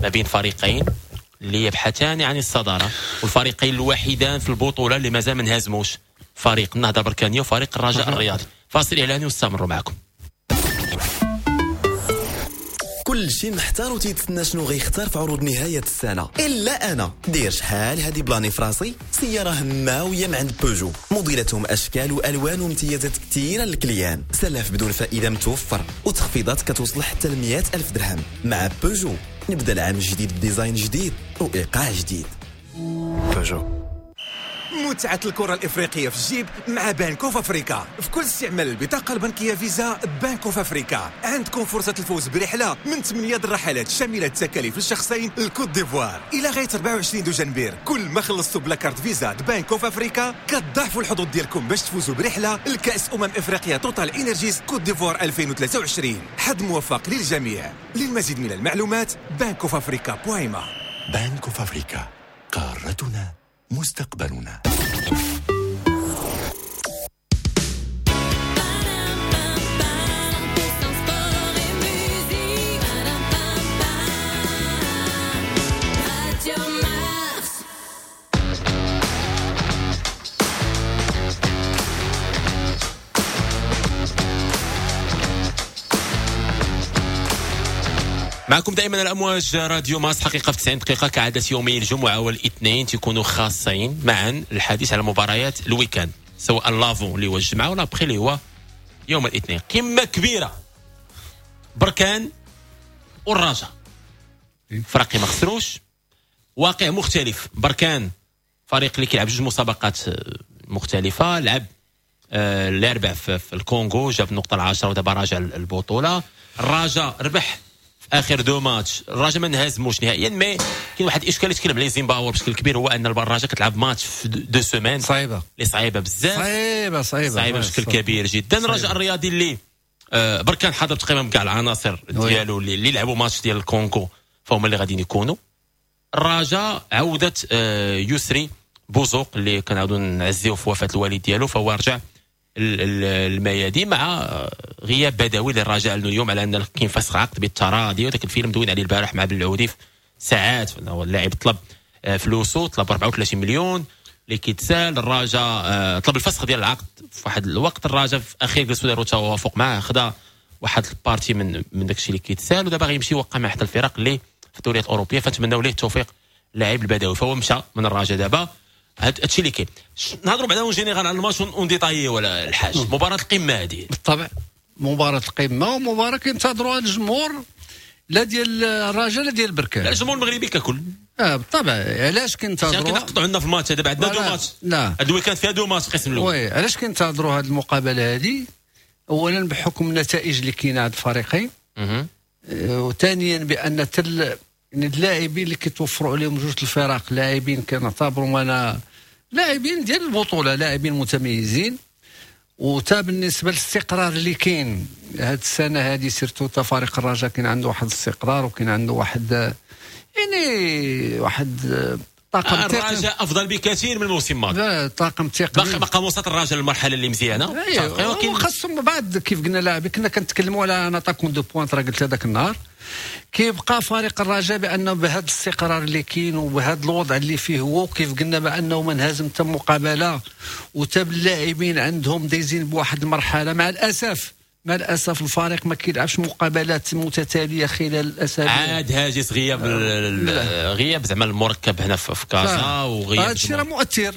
ما بين فريقين اللي يبحثان عن الصدارة، والفريقين الوحيدان في البطولة اللي مازال ما انهزموش، فريق النهضة البركانيه وفريق الرجاء الرياضي. فاصل اعلاني واستمروا معكم. كل شيء محتار وتيتسنى شنو غيختار في عروض نهاية السنة، إلا أنا دير شحال هادي بلاني فراسي سيارة هماوية من عند بوجو، موديلاتهم أشكال وألوان وامتيازات كثيرة لل client، سلف بدون فائدة متوفر وتخفيضات كتوصل حتى ل مئة ألف درهم. مع بوجو نبدأ العام الجديد ب design جديد وإيقاع جديد. بوجو. متعة الكرة الإفريقية في الجيب مع Bank of Africa. في كل استعمال البطاقة البنكية فيزا Bank of Africa عندكم فرصة الفوز برحلة من ثمانية الرحلات شاملة التكاليف للشخصين للكوت ديفوار إلى غاية أربعة وعشرين دجنبر. كل ما خلصتوا ب la carte Visa Bank of Africa كتضاعفوا الحظوظ ديالكم باش تفوزوا برحلة لكأس أمم إفريقيا TotalEnergies Côte d'Ivoire ألفين وثلاثة وعشرين. حظ موفق للجميع. للمزيد من المعلومات Bank of Africa point ma. Bank of Africa، قارتنا مستقبلنا. معكم دائما الأمواج راديو مارس. حقيقة في تسعين دقيقة كعادة يومي الجمعة والاثنين تكونوا خاصين معا الحديث على مباريات ال week-end، سواء l'avant اللي هو الجمعة ولا l'après اللي هو يوم الاثنين. قمة كبيرة، بركان والرجاء، فريق ما خسروش، واقع مختلف. بركان فريق اللي كيلعب جوج مسابقات مختلفة، لعب آه الاربع في, في الكونغو، جاب النقطة العاشرة ودابا راجع البطولة. الرجاء ربح اخر deux matchs، الرجاء ما انهزموش نهائيا، mais كاين واحد الاشكال اللي تكلم عليه زيمباور بشكل كبير، هو ان الرجاء كتلعب ماتش في deux semaines صعيبة، اللي صعيبة بزاف، صعيبة صعيبة صعيبة بشكل كبير جدا. الرجاء الرياضي اللي آه بركان حاضر تقريبا بكاع العناصر ديالو اللي, اللي لعبوا ماتش ديال الكونغو، فهم اللي غاديين يكونوا. الرجاء عوده آه يسري بوزوق اللي كنعاودوا نعزيو في وفاه الوالد ديالو، فهو رجع الميادين مع غياب بدوي للرجاء اليوم على ان كاين فسخ عقد بالتراضي، وذاك الفيلم دوين عليه البارح مع بالعودي في ساعات. اللاعب طلب فلوسه، طلب أربعة وثلاثين مليون اللي كيتسال. الرجاء طلب الفسخ ديال العقد في واحد الوقت، الرجاء في اخير جلسوا داروا توافق معاه، خدا واحد ال partie من من داك الشيء اللي كيتسال، ودابا غيمشي يوقع مع احد الفرق اللي في الدوريات الاوروبية، فنتمناو ليه التوفيق اللاعب البدوي. فهو مشى من الرجاء دابا. هاد الشيء اللي كاين. نهضروا بعدا en général على الماتش en détail ولا الحاج. مباراة القمه هذه بالطبع مباراة القمه، ومباراة كينتظروها الجمهور. لا ديال الرجاء لا ديال بركان، لا الجمهور المغربي ككل. اه بالطبع. علاش كنتظروا؟ كنقطعوا عندنا في الماتش دابا، عندنا deux matchs. لا هاد ال week-end فيها deux matchs القسم الاول. oui، علاش كنتظروا هاد المقابلة هذه؟ اولا بحكم النتائج اللي كاينه عند الفريقين، وثانيا بان تل اللاعبين اللي كيتوفروا عليهم جوج الفرق لاعبين كنعتبرهم انا لاعبين ديال البطولة، لاعبين متميزين. وتا بالنسبة للاستقرار اللي كاين هاد السنة هذه، surtout تا فريق الرجاء كاين عنده واحد الاستقرار وكاين عنده واحد يعني واحد طاقم تقني. الرجاء افضل بكثير من الموسم الماضي. لا طاقم تقني باقي وسط الرجاء للمرحلة اللي مزيانه. ايوه، وخاصهم بعد كيف قلنا لاعبين، كنا كنتكلموا على un attaquant de pointe، راه قلت هذاك النهار كيبقى فريق الرجاء بانه بهذا الاستقرار اللي كاين وبهذا الوضع اللي فيه هو، كيف قلنا بانه ما انهزم حتى مقابله، وتا اللاعبين عندهم دايزين بواحد المرحلة. مع الاسف مع الاسف الفريق ما كيلعبش مقابلات متتالية خلال الاسابيع. عاد هاجس غياب غياب زعما المركب هنا في كازا وغياب هذا الشيء راه مؤثر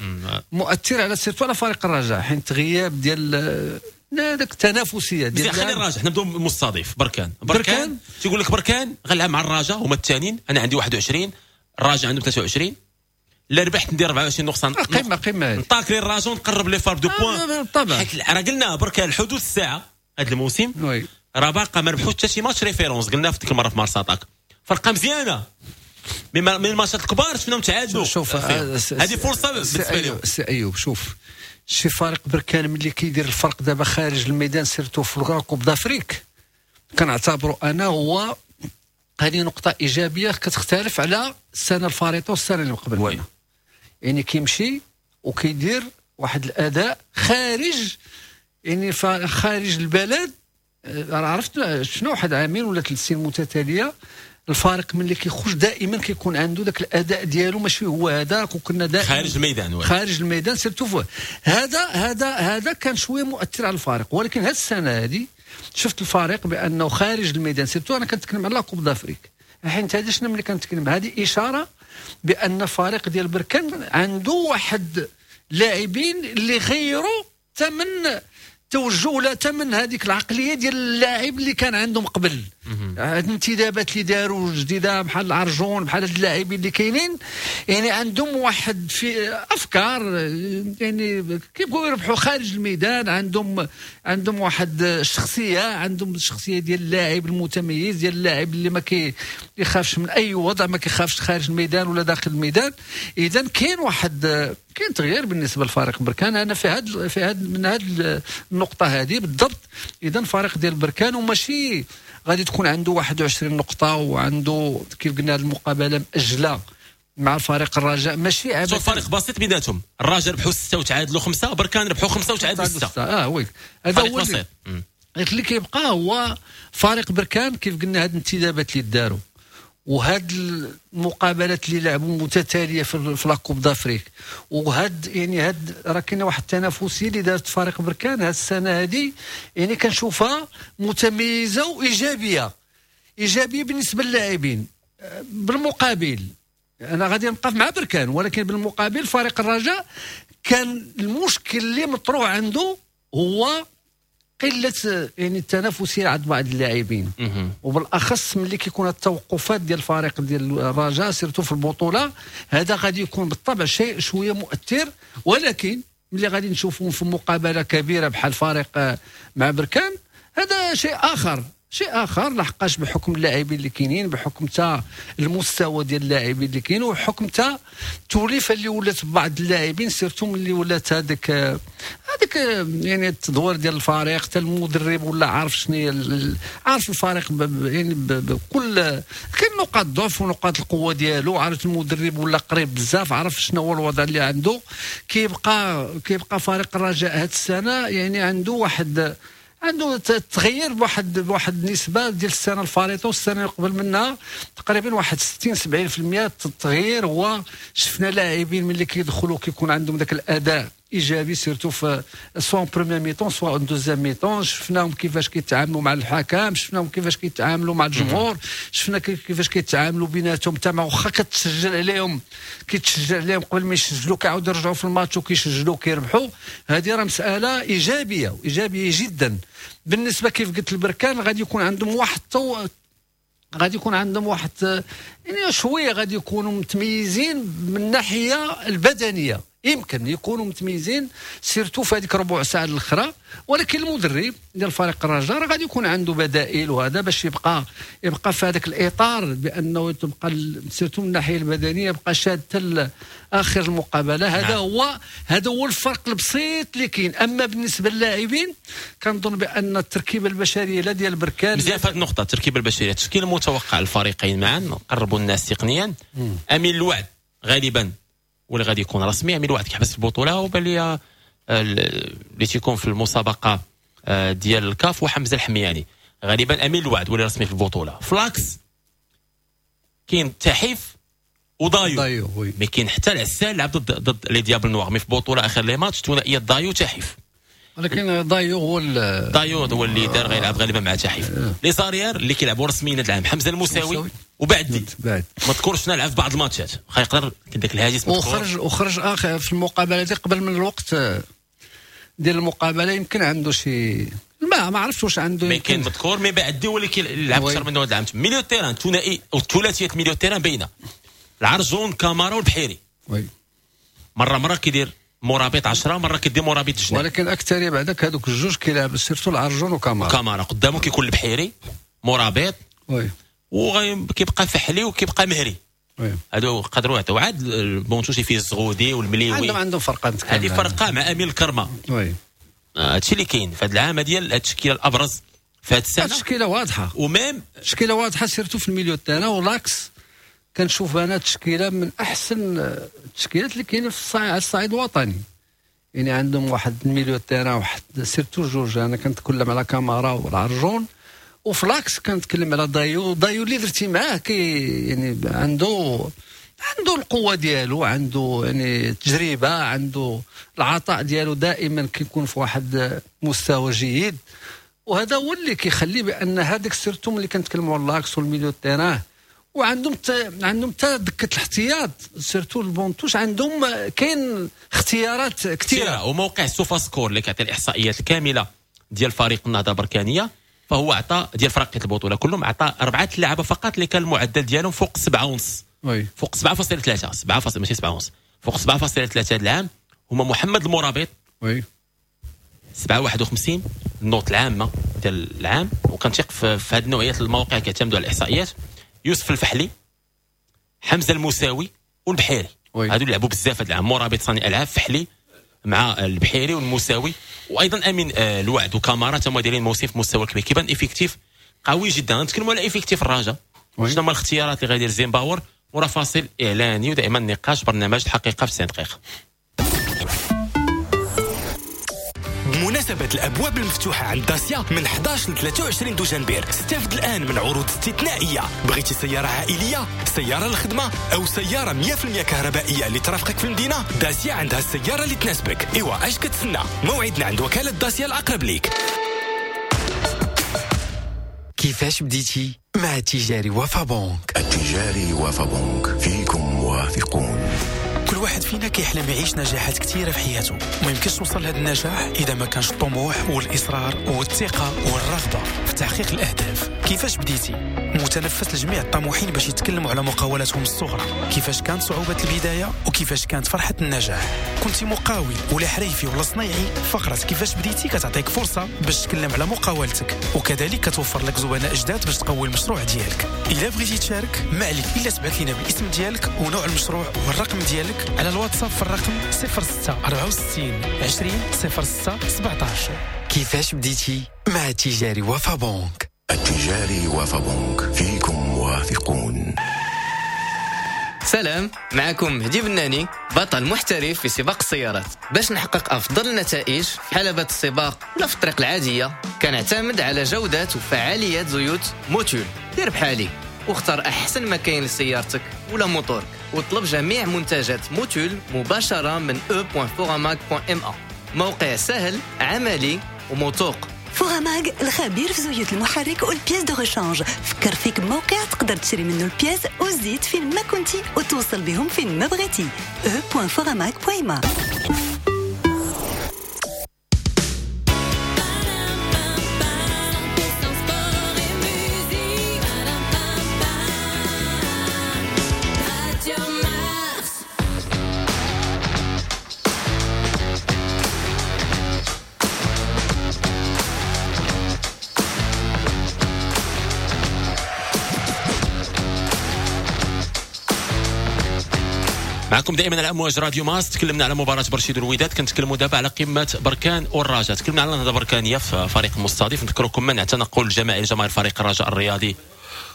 مؤثر على surtout على فريق الرجاء، حيت غياب ديال هذاك التنافسية ديال. خلي الرجاء، حنا نبداو مستضيف بركان. بركان تيقول لك بركان غنلعب مع الرجاء هما الثانيين، انا عندي واحد وعشرين، الرجاء عنده ثلاثة وعشرين، لا ربحت ندير أربعة وعشرين نقصان قيمة قيمة نطاكلي الرجاء ونقرب لي فار deux points. طبعا حيت راه قلنا بركان الحدود الساعة هذا الموسم راه باقا ما ربحوش حتى شي match référence، قلنا في ديك المرة في مارس اتاك فرقه مزيانه من الماتشات الكبار شفناهم تعادلوا. شوف هذه فرصة بالنسبة لهم. سي ايوب، شوف شي فريق بركان ملي كيدير الفرق دابا خارج الميدان surtout في ال Coupe d'Afrique، كنعتبره انا هو هذه نقطة ايجابية كتختلف على السنة الفارطه والسنة اللي قبل منها. يعني كيمشي وكيدير واحد الاداء خارج يعني خارج البلد. عرفت شنو واحد عامين ولا ثلاث سنين متتالية الفارق ملي كيخرج دائما كيكون عنده ذاك الاداء ديالو ماشي هو هذاك، وكنا دائما خارج الميدان خارج الميدان surtout. هذا هذا هذا كان شوية مؤثر على الفارق، ولكن هذه السنة هذه شفت الفريق بانه خارج الميدان surtout. انا كنتكلم على Coupe d'Afrique، حيت هذا شنو ملي كنتكلم هذه اشارة بان فريق ديال بركان عنده واحد لاعبين اللي غيروا ثمن توجه ولا تمن هذيك العقلية ديال اللاعب اللي كان عندهم قبل. هاد الانتدابات اللي داروا جديدة بحال العرجون بحال هاد اللاعبين اللي كاينين، يعني عندهم واحد في افكار يعني كيبغيو يربحوا خارج الميدان، عندهم عندهم واحد الشخصية، عندهم الشخصية ديال اللاعب المتميز، ديال اللاعب اللي ما كيخافش من اي وضع، ما كيخافش خارج الميدان ولا داخل الميدان. اذا كاين واحد كاين تغيير بالنسبة لفريق بركان. انا في هاد في هاد من هاد النقطة هذه بالضبط. اذا فريق ديال بركان وماشي غادي تكون عنده واحد وعشرين نقطة وعنده كيف قلنا هذه المقابلة مأجله مع فريق الرجاء، ماشي عبث. فريق بسيط بيناتهم، الرجاء ربحوا ستة وتعادلوا خمسة، بركان ربحوا خمسة وتعادلوا ستة. اه oui، هذا هو بسيط. اللي كيبقى هو فريق بركان كيف قلنا هاد الانتدابات اللي داروا وهاد المقابلات اللي لعبوا متتالية في la Coupe d'Afrique، وهاد يعني هاد راه كاينه واحد التنافسية اللي دارت فريق بركان هاد السنة هادي، يعني كنشوفها متميزة وايجابية، ايجابية بالنسبة للاعبين. بالمقابل انا غادي نبقى مع بركان، ولكن بالمقابل فريق الرجاء كان المشكل اللي مطروح عنده هو قلة يعني التنافسية عند بعض اللاعبين، وبالاخص ملي كيكون التوقفات ديال الفريق ديال الرجاء surtout في البطولة، هذا غادي يكون بالطبع شيء شوية مؤثر. ولكن ملي غادي نشوفهم في مقابله كبيرة بحال فريق مع بركان، هذا شيء اخر، شيء اخر، لحقاش بحكم اللاعبين اللي كاينين، بحكم تا المستوى ديال اللاعبين اللي كاين، وبحكم تا التوليفه اللي ولات بعض اللاعبين surtout ملي ولات هذاك هذاك يعني التدوير ديال الفريق، حتى المدرب ولا عارف شنو هي، عارف الفريق يعني بكل كاين نقاط ضعف ونقاط القوة ديالو، عارف المدرب ولا قريب بزاف، عارف شنو هو الوضع اللي عنده. كيبقى كيبقى فريق الرجاء هذه السنة يعني عنده واحد عنده تغير بواحد بواحد النسبة ديال السنة الفارطه والسنة اللي قبل منها تقريبا واحد ستين سبعين بالمية التغيير. هو شفنا لاعبين ملي كيدخلوا كيكون عندهم ذاك الاداء ايجابي surtout في soit première mi-temps soit deuxième mi-temps، شفناهم كيفاش كيتعاملوا مع الحكم، شفناهم كيفاش كيتعاملوا مع الجمهور، شفنا كيفاش كيتعاملوا بيناتهم تما، واخا كتسجل عليهم كيتسجل عليهم قبل ما يسجلوا كيعاودوا يرجعوا في الماتش وكيسجلوا كيربحوا. هذه راه مسالة ايجابية وايجابية جدا. بالنسبة كيف قلت البركان غادي يكون عندهم واحد غادي يكون عندهم واحد يعني شوية غادي يكونوا متميزين من الناحية البدنية، يمكن يكونوا متميزين surtout في هذيك ربع ساعة الاخرى، ولكن المدرب ديال فريق الرجاء راه غادي يكون عنده بدائل، وهذا باش يبقى يبقى في هذاك الاطار بانه تبقى surtout من الناحية البدنية يبقى شاد حتى اخر المقابلة. هذا نعم. هو هذا هو الفرق البسيط اللي كاين. اما بالنسبة للاعبين كنظن بان التركيبة البشرية لا ديال بركان مزيان في هذه النقطة، التركيبة البشرية التشكيل المتوقع الفريقين معا قربوا الناس تقنيا. امين الوعد غالبا واللي غادي يكون رسمي، امين الوعد كيحبس البطولة وبان لي اللي تيكون في المسابقة ديال الكاف وحمزة الحمياني غالبا امين الوعد واللي رسمي في البطولة. ف l'axe كاين تحيف ودايو دايو mais كاين حتى العسال لعب ضد ضد les Diables Noirs، mais في بطوله اخر les matchs ثنائية دايو تحيف، ولكن دايو هو دايو هو اللي دار غيلعب غالبا مع تحيف. les arrières اللي كيلعبوا رسميا هذا العام حمزة المساوي وبعدي بعد ما تذكرش لعب في بعض الماتشات واخا يقدر ذاك الهاجس وخرج وخرج اخر في المقابلة دي قبل من الوقت ديال المقابلة، يمكن عنده شي ما ما عرفتش واش عنده mais كاين مذكور mais بعدي هو اللي كيلعب اكثر منه هذا العام. milieu terrain ثنائي او ثلاثية milieu terrain باينة العرجون كامارا والبحيري oui مرة مرة كيدير مرابط عشرة مرة كيدير مرابط جناح، ولكن اكثر بعدك هذوك الجوج كيلعب surtout العرجون وكامارا كامارا قدامه كيكون البحيري مرابط oui وكيبقى فحلي وكيبقى مهري oui هادو قدروا يعطيو عاد ال banc de touche فيه الزغودي والمليوي عندهم عندهم فرقه هذه فرقه مع امين الكرمة oui هادشي اللي كاين في هذا العام ديال التشكيلة الابرز في هذه السنة. التشكيلة واضحة و même التشكيلة واضحة surtout في ال milieu تاعنا و l'axe كنشوف انا تشكيله من احسن التشكيلات اللي كاينه في الصعيد على الصعيد الوطني، يعني عندهم واحد ال milieu terrain واحد surtout جوج، انا كنتكلم على كامارا والعرجون، وف l'axe كنتكلم على دايو. دايو اللي درتي معاه كي يعني عنده عنده القوة ديالو، عنده يعني تجربه، عنده العطاء ديالو دائما كيكون في واحد مستوى جيد، وهذا هو اللي كيخلي بان هذاك surtout ملي كنتكلموا على l'axe وال milieu terrain، وعندهم عندهم حتى دكه الاحتياط surtout ال banc de touche عندهم كاين اختيارات كثيرة. وموقع SofaScore اللي كيعطي الاحصائيات الكاملة ديال فريق النهضة البركانيه فهو عطى ديال فرق البطولة كلهم عطى اربعة لعابه فقط اللي كان المعدل ديالهم فوق سبعة ونص oui فوق سبعة فاصلة ثلاثة سبعة فاصلة ماشي سبعة ونص فوق سبعة فاصلة ثلاثة هذا العام هما محمد المرابط oui سبعة واحد وخمسين ال note العامة ديال العام، وكنثيق في, في هذه النوعيات المواقع كيعتمدوا على الاحصائيات. يوسف الفحلي، حمزة المساوي والبحيري، هادو لعبوا بزاف هذا العام. مرابط صانع العاب، فحلي مع البحيري والمساوي، وايضا امين آه الوعد وكامارا تما دايرين موسم في مستوى كبير، كيبان effectif قوي جدا. نتكلموا على effectif الرجاء، شنو هما الاختيارات اللي غيدير زيمباور ورا فاصل اعلاني ودائما نقاش برنامج الحقيقة في تسعين دقيقة. بمناسبة الأبواب المفتوحة عند داسيا من أحد عشر ل ثلاثة وعشرين دجنبر، استفد الآن من عروض استثنائية. بغيتي سيارة عائلية، سيارة للخدمة، أو سيارة مية بالمية كهربائية اللي ترافقك في المدينة، داسيا عندها السيارة اللي تناسبك. إيوا أش كتسنى؟ موعدنا عند وكالة داسيا الأقرب ليك. كيفاش بديتي مع التجاري وفا بنك؟ التجاري وفا بنك، فيكم موافقون. كل واحد فينا كيحلم يعيش نجاحات كثيرة في حياته، وما يمكنش توصل لهذا النجاح إذا ما كانش الطموح والإصرار والثقة والرغبة في تحقيق الأهداف. كيفاش بديتي؟ متنفس لجميع الطموحين باش يتكلموا على مقاولاتهم الصغرى، كيفاش كانت صعوبة البداية وكيفاش كانت فرحة النجاح. كنت مقاول ولا حريفي ولا صنايعي، فقرة كيفاش بديتي كتعطيك فرصة باش تتكلم على مقاولتك، وكذلك كتوفر لك زبناء جداد باش تقوي المشروع ديالك. إلا بغيتي تشارك ما عليك إلا تبعث لنا بالاسم ديالك ونوع المشروع والرقم ديالك على الواتساب في الرقم صفر ستة أربعة وستين عشرين صفر ستة سبعطاش. كيفاش بديتي مع التجاري وفا بنك؟ التجاري وفا بنك، فيكم موافقون. سلام، معكم مهدي بناني، بطل محترف في سباق السيارات. باش نحقق أفضل النتائج في حلبة السباق ولا في الطريق العادية، كنعتمد على جودة وفعالية زيوت موتول. دير بحالي واختار أحسن ما كاين لسيارتك ولا موتورك، واطلب جميع منتجات موتول مباشرة من إي دوت فوراماغ دوت إم إيه. موقع سهل، عملي وموثوق. فوراماغ الخبير في زيوت المحرك وال pièces de rechange. فكر فيك بموقع تقدر تشري منه ال pièces والزيت فين ما كنتي وتوصل بهم فين ما بغيتي. إي دوت فوراماغ دوت إم إيه. معكم دائما على امواج راديو مارس. تكلمنا على مباراة برشيد والوداد، كنتكلموا دابا على قمة بركان والرجاء. تكلمنا على النهضة البركانيه في فريق المستضيف. نذكركم منع تنقل الجماعي لجماهير فريق الرجاء الرياضي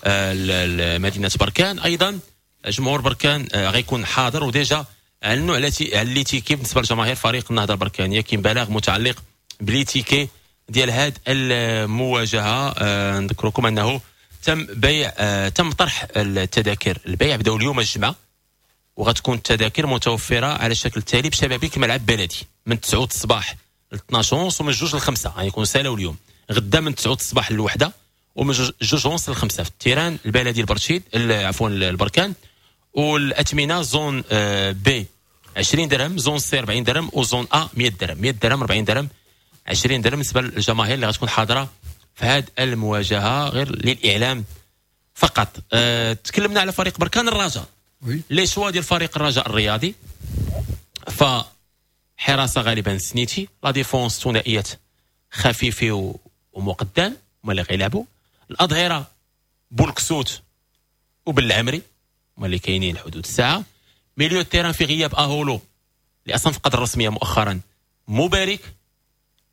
لمدينة بركان. ايضا جمهور بركان غيكون حاضر، و déjà اعلنوا على على les tickets بالنسبة لجماهير فريق النهضة البركانيه. كاين بلاغ متعلق ب les tickets ديال هذه المواجهة. نذكركم انه تم بيع تم طرح التذاكر، البيع بداو اليوم الجمعة، وغتكون التذاكر متوفرة على الشكل التالي بشبابيك ملعب بلدي من تسعة الصباح ل اثناش ونص ومن جوج ل خمسة، يعني يكونوا سالاو اليوم. غدا من تسعة الصباح للوحدة ومن جوج ونص ل خمسة في ال terrain البلدي البرشيد عفوا البركان. والاثمنه zone B عشرين درهم، zone C أربعين درهم، و zone A مية درهم، مية درهم أربعين درهم عشرين درهم بالنسبة للجماهير اللي غتكون حاضره في هذه المواجهة، غير للاعلام فقط. أه تكلمنا على فريق بركان الرجاء، les choix ديال فريق الرجاء الرياضي، فحراسه غالبا سنيتي، la défense ثنائية خفيفي ومقدم هما اللي غيلعبوا، الاظهرة بولكسوت وبالعمري هما اللي كاينين لحدود الساعة. milieu terrain في غياب اهولو اللي اصلا فقد الرسمية مؤخرا، مبارك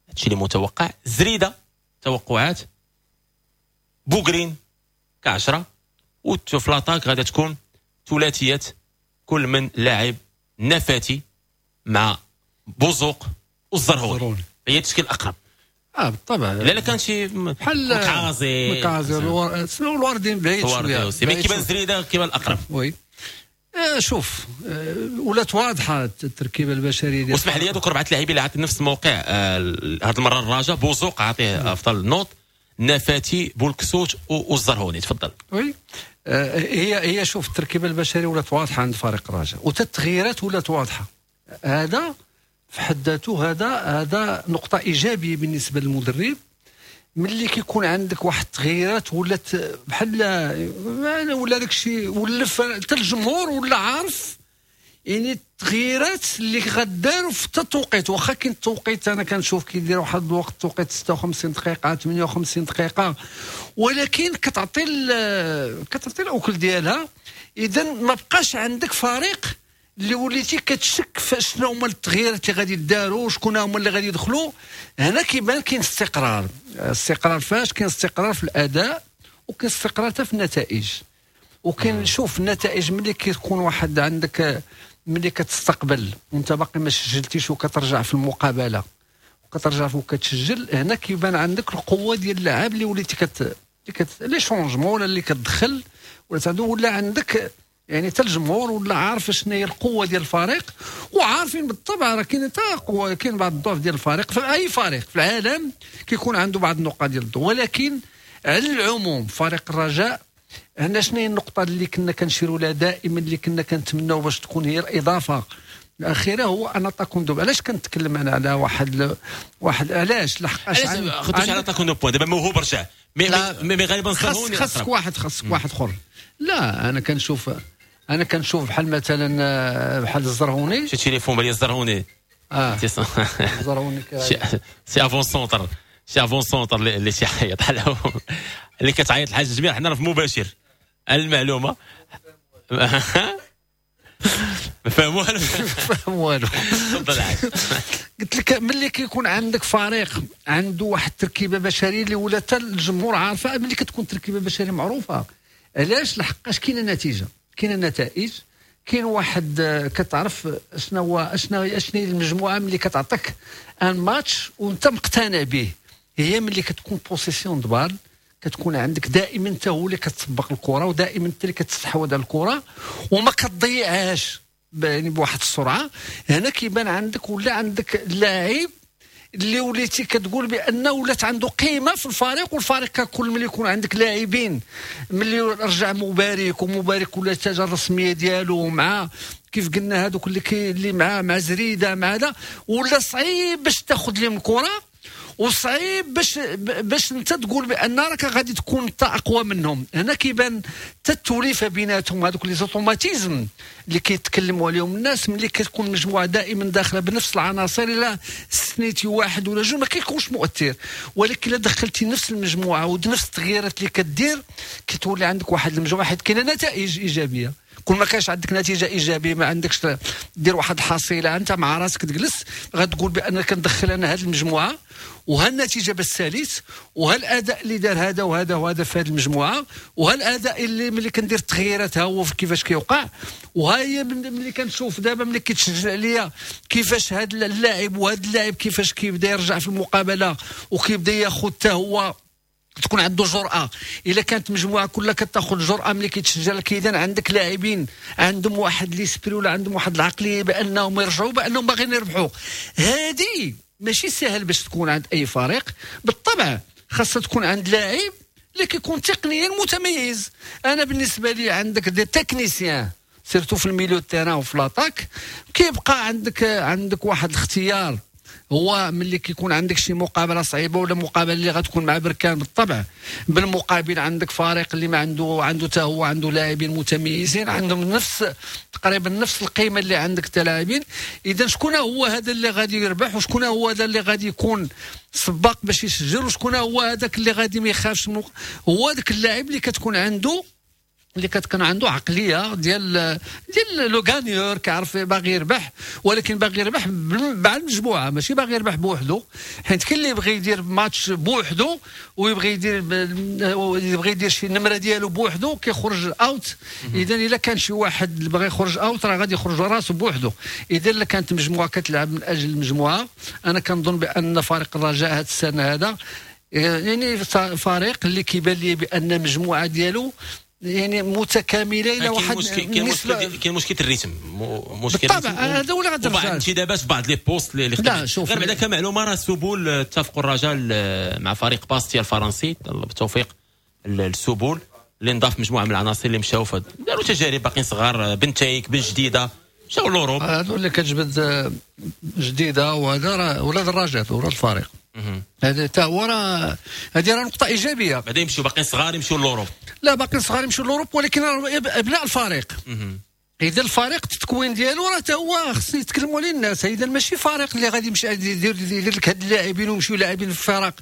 هادشي اللي متوقع، زريده توقعات، بوغرين كعشرة، وفي l'attaque غادا تكون ثلاثية كل من لاعب نفاتي مع بوزوق والزرهوني، هي التشكيل الاقرب. اه بالطبع. لا لا كان شي بحال مكعازي مكعازي الواردين بعيد شوية، mais كيبان زريده كيبان الاقرب. oui آه شوف آه ولات واضحة التركيبة البشرية ديال. واسمح لي دوك اربعة لاعبين اللي عطي نفس الموقع آه هذه المرة الرجاء، بوزوق عطية افضل note، نفاتي بولكسوت والزرهوني. تفضل. oui آه هي هي شوف التركيبة البشرية ولات واضحة عند فريق الرجاء، وحتى التغييرات ولات واضحة. هذا في حد ذاته هذا هذا نقطة ايجابية بالنسبة للمدرب، ملي كيكون عندك واحد التغييرات ولات بحال ولا داك الشيء ولف حتى الجمهور ولا عارف يعني التغييرات اللي غداروا في التوقيت. واخا كاين التوقيت انا كنشوف كيدير واحد الوقت توقيت ستة وخمسين دقيقة ثمانية وخمسين دقيقة، ولكن كتعطي كتعطي الاكل ديالها. اذا ما بقاش عندك فريق اللي وليتي كتشك في شنو هما التغييرات اللي غادي يداروا، شكون هما اللي غادي يدخلوا. هنا كيبان كاين استقرار، استقرار فاش كاين استقرار في الاداء وكاين استقرار حتى في النتائج. وكاين شوف النتائج ملي كيكون واحد عندك، ملي كتستقبل وانت باقي ما سجلتيش وكترجع في المقابلة وكترجع وكتسجل، هنا كيبان عندك القوة ديال اللاعب اللي وليتي كت les changements ولا اللي كتدخل ولا ولا عندك يعني حتى الجمهور ولا عارف شنو هي القوة ديال الفريق، وعارفين بالطبع راه كاين حتى قوة، كاين بعض الضعف ديال الفريق. في اي فريق في العالم كيكون عنده بعض النقاط ديال الضعف، ولكن على العموم فريق الرجاء هنا شنو هي النقطة اللي كنا كنشيروا لها دائما، اللي كنا كنتمناو باش تكون هي الاضافة الاخيرة، هو un attaquant de. علاش كنتكلم انا على واحد واحد علاش لحقاش علاش على attaquant de pointe دابا موهوب رجع mais mais غالبا خاص خاصك واحد خاصك واحد اخر. لا انا كنشوف انا كنشوف بحال مثلا بحال الزرهوني، شي تليفون بالي الزرهوني اه الزرهوني c'est avant-centre شي avant-centre اللي تيعيط اللي كتعيط الحاج جميع. حنا راه في مباشر المعلومة ما فاهم والو ما فاهم والو. قلت لك ملي كيكون عندك فريق عنده واحد التركيبة بشرية اللي ولا حتى الجمهور عارفه، ملي كتكون تركيبه بشرية معروفة علاش؟ لحقاش كاينه نتيجة، كاينه نتائج، كاين واحد كتعرف شنو هو شنو شنو هي المجموعة ملي كتعطيك un match وانت مقتنع به. هي ملي كتكون possession de balle كتكون عندك دائما انت هو اللي كتسبق الكره، ودائما انت اللي كتستحوذ على الكره وما كتضيعهاش يعني بواحد السرعة. هنا كيبان عندك ولا عندك لاعب اللي وليتي كتقول بانه ولات عنده قيمة في الفريق، والفريق ككل ملي يكون عندك لاعبين ملي رجع مبارك ومبارك ولا التاجه الرسمية ديالو مع كيف قلنا هذوك اللي كي اللي مع مع زريده مع هذا، ولا صعيب باش تاخذ لهم الكره. وصعيب باش باش انت تقول بان راك غادي تكون انت اقوى منهم. هنا كيبان حتى التوليفه بيناتهم، هذوك les automatismes اللي كيتكلموا عليهم الناس، ملي كتكون مجموعة دائما داخله بنفس العناصر، الا استثنيتي واحد ولا جوج ما كيكونش مؤثر، ولكن الا دخلتي نفس المجموعة ونفس التغييرات اللي كدير كتولي عندك واحد المجموعة، حيت كاينه نتائج ايجابية. كل ما كانش عندك نتيجة ايجابية ما عندكش دير واحد الحصيلة انت مع راسك تجلس غتقول بان كندخل انا هذه المجموعة وها النتيجة بالثالث وها الاداء اللي دار هذا وهذا وهذا في هذه المجموعة، وها الاداء اللي ملي كندير التغييرات ها هو كيفاش كيوقع، وها هي ملي كنشوف دابا ملي كيتسجل عليا كيفاش هذا اللاعب وهذا اللاعب كيفاش كيبدا يرجع في المقابلة وكيبدا ياخذ حتى هو تكون عنده جرأة. إلا كانت مجموعة كلها كتاخذ جرأة ملي كيتسجل لك، إذا عندك لاعبين عندهم واحد l'esprit ولا عندهم واحد العقلية بأنهم يرجعوا بأنهم باغيين يربحوا. هذه ماشي سهل باش تكون عند أي فريق، بالطبع خاصها تكون عند لاعب اللي كيكون تقنيا متميز. أنا بالنسبة لي عندك des techniciens surtout في ال milieu terrain وفي l'attaque، كيبقى عندك عندك واحد الاختيار. هو ملي كيكون عندك شي مقابله صعيبة ولا مقابله اللي غتكون مع بركان، بالطبع بالمقابل عندك فريق اللي ما عنده عنده حتى هو عنده لاعبين متميزين عندهم نفس تقريبا نفس القيمة اللي عندك تا لاعبين. اذا شكون هو هذا اللي غادي يربح، وشكون هو هذا اللي غادي يكون سباق باش يسجل، وشكون هو هذاك اللي غادي ما يخافش؟ هو هذاك اللاعب اللي كتكون عنده اللي كتكون عنده عقلية ديال ديال le gagneur، كيعرف باغي يربح، ولكن باغي يربح مع المجموعة ماشي باغي يربح بوحدو. حيت كاين اللي يبغي يدير ماتش بوحدو ويبغي يدير يبغي يدير شي نمره ديالو بوحدو كيخرج out. اذا الا كان شي واحد اللي بغى يخرج out راه غادي يخرج راسو بوحدو. اذا الا كانت مجموعة كتلعب من اجل المجموعة، انا كنظن بان فريق الرجاء هذه السنة هذا يعني فريق اللي كيبان لي بان المجموعة ديالو يعني متكاملة الى واحد. كاين مشكل كاين مشكل ال rythme، مشكل بالطبع هذا ولا غادي بعض الانتدابات في بعض les postes اللي غير بعدا كمعلومه راه سبول اتفقوا الرجاء مع فريق باستيا الفرنسي بالتوفيق السبول اللي نضاف مجموعة من العناصر اللي مشاو داروا تجارب باقيين صغار، بنتايك بن جديدة مشاو l'Europe. هذو اللي كتجبد جديدة وهذا راه ولاد الرجاء ولاد الفريق، هذا حتى هو راه هذه راه نقطة ايجابية. بعدا يمشيو باقيين صغار يمشيو l'Europe، لا باقيين صغار يمشيو l'Europe ولكن ابناء الفريق. اذا الفريق التكوين ديالو راه حتى هو خص يتكلموا عليه الناس. اذا ماشي فريق اللي غادي يمشي يدير يدير لك هاد اللاعبين ويمشيو لاعبين في الفرق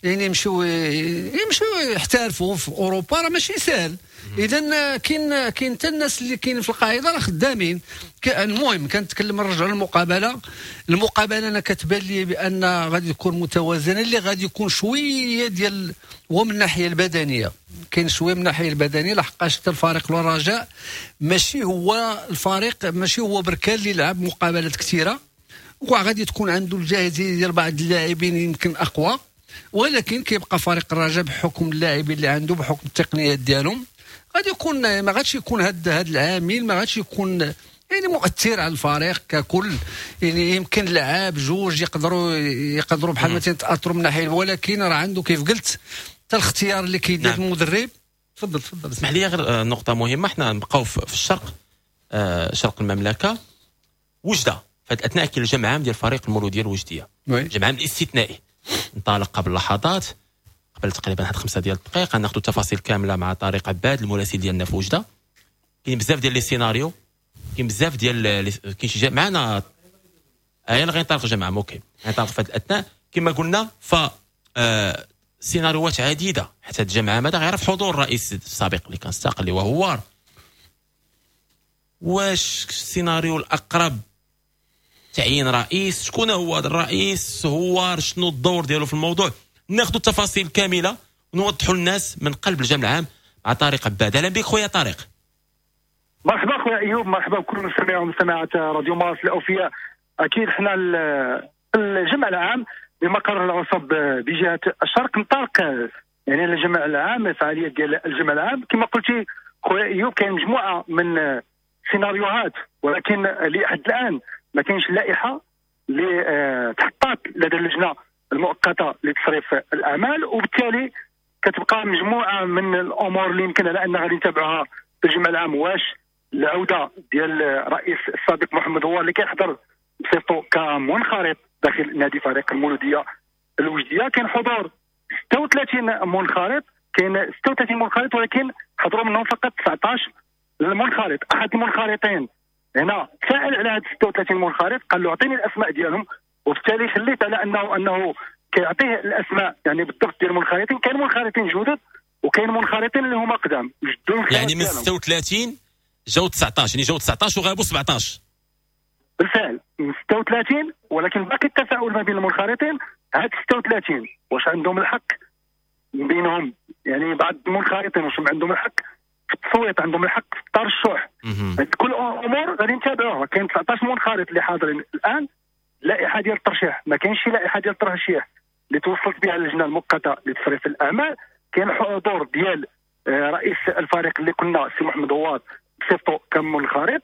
يعني يمشيو يمشيو يحترفوا في اوروبا، راه ماشي سهل. اذا كاين كاين حتى الناس اللي كاينين في القاعدة راه خدامين. المهم كنتكلم نرجعوا للمقابله. المقابلة انا كتبان لي بان غادي تكون متوازنة، اللي غادي يكون شوية ديال هو من الناحية البدنية، كاين شوية من الناحية البدنية، لحقاش حتى الفريق الرجاء ماشي هو الفريق ماشي هو بركان اللي لعب مقابلات كثيرة، وغادي تكون عنده الجاهزيه ديال بعض اللاعبين يمكن اقوى، ولكن كيبقى فريق الرجاء بحكم اللاعبين اللي عنده بحكم التقنيات ديالهم غادي يكون ما غاديش يكون هذا هذا العامل ما غاديش يكون يعني مؤثر على الفريق ككل. يعني يمكن لعاب جوج يقدروا يقدروا بحال مثلا تاثروا من ناحية، ولكن راه عنده كيف قلت حتى الاختيار اللي كيدير نعم. المدرب. تفضل تفضل. اسمح لي غير نقطة مهمة، حنا نبقاو في الشرق، آه شرق المملكة وجده في هذه الاثناء كاين الجمع عام ديال فريق المولوديه الوجديه، الجمع عام الاستثنائي انطلق قبل لحظات، قبل تقريبا واحد خمسة ديال الدقائق. غناخذ التفاصيل كاملة مع طارق عباد المراسل ديالنا في وجده. كاين بزاف ديال les scénarios، كاين بزاف ديال كاين شي معنا يلا غينطلق الجمع OK غينطلق في هذه الاثناء كما قلنا. ف آه سيناريوهات عديدة حتى الجمع هذا غيعرف حضور الرئيس السابق اللي كان استقل اللي وهو هوار. واش السيناريو الاقرب تعيين رئيس؟ شكون هو هذا الرئيس؟ هو شنو الدور ديالو في الموضوع؟ ناخذ التفاصيل كاملة ونوضحوا للناس من قلب الجمع العام مع طارق عباد. اهلا بك خويا طارق. مرحبا خويا ايوب، مرحبا بكل مستمعي ومستمعات راديو مارس الاوفياء. اكيد حنا الجمع العام بمقر العصب بجهة الشرق انطلق يعني الجمع العام، فعالية ديال الجمع العام كما قلتي خويا ايوب كاين مجموعة من سيناريوهات، ولكن لحد الان ما كاينش لائحة اللي تحطات لدى اللجنة المؤقتة لتصريف الاعمال، وبالتالي كتبقى مجموعة من الامور اللي يمكن على ان غادي نتابعوها في الجمع العام. واش العودة ديال الرئيس السابق محمد هوار اللي كيحضر بصفته كمنخرط داخل نادي فريق المولوديه الوجديه. كاين حضور ستة وثلاثين منخرط، كاين ستة وثلاثين منخرط ولكن حضروا منهم فقط تسعطاش المنخرط. احد المنخرطين هنا سأل على هاد ستة وثلاثين منخرط، قال له اعطيني الاسماء ديالهم، وبالتالي خليت على انه انه كيعطيه الاسماء يعني بالضبط ديال المنخرطين. كاين منخرطين جدد وكاين منخرطين اللي هما قدام، يعني من ستة وثلاثين جاو تسعطاش، يعني جاو تسعطاش وغابوا سبعطاش. بالفعل من ستة وثلاثين، ولكن باقي التساؤل ما بين المنخرطين، هاد ستة وثلاثين واش عندهم الحق من بينهم، يعني بعض المنخرطين واش عندهم الحق في التصويت، عندهم الحق في الترشح. كل امور غادي نتابعوها. كاين تسعطاش منخرط اللي حاضرين الان، لائحة ديال الترشيح ما كاينش شي لائحة ديال الترشيح اللي توصلت بها اللجنة المؤقتة لتصريف الاعمال. كاين حضور ديال رئيس الفريق اللي قلنا سي محمد هواد بصفتو كمنخرط،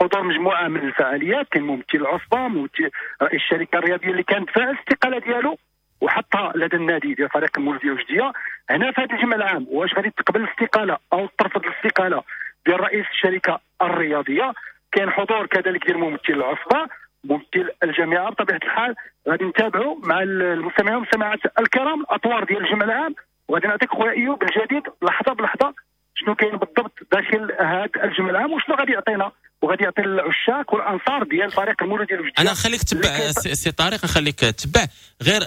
حضور مجموعة من الفعاليات، كاين ممثل العصبة، ممثل رئيس الشركة الرياضية اللي كانت فاعل الاستقالة ديالو وحطها لدى النادي ديال فريق المولوديه الوجديه. هنا في هذا الجمع العام واش غادي تقبل الاستقالة او ترفض الاستقالة ديال رئيس الشركة الرياضية. كاين حضور كذلك ديال ممثل العصبة، ممثل الجامعة. بطبيعة الحال غادي نتابعوا مع المستمعين والمستمعات الكرام الاطوار ديال الجمع العام، وغادي نعطيك خويا ايوب الجديد لحظة بلحظة شنو كاين بالضبط داخل هذا الجمع العام وشنو غادي يعطينا وغادي يعطي العشاق والانصار ديال فريق المولوديه الوجديه. انا نخليك تتبع سي طارق، نخليك تتبع غير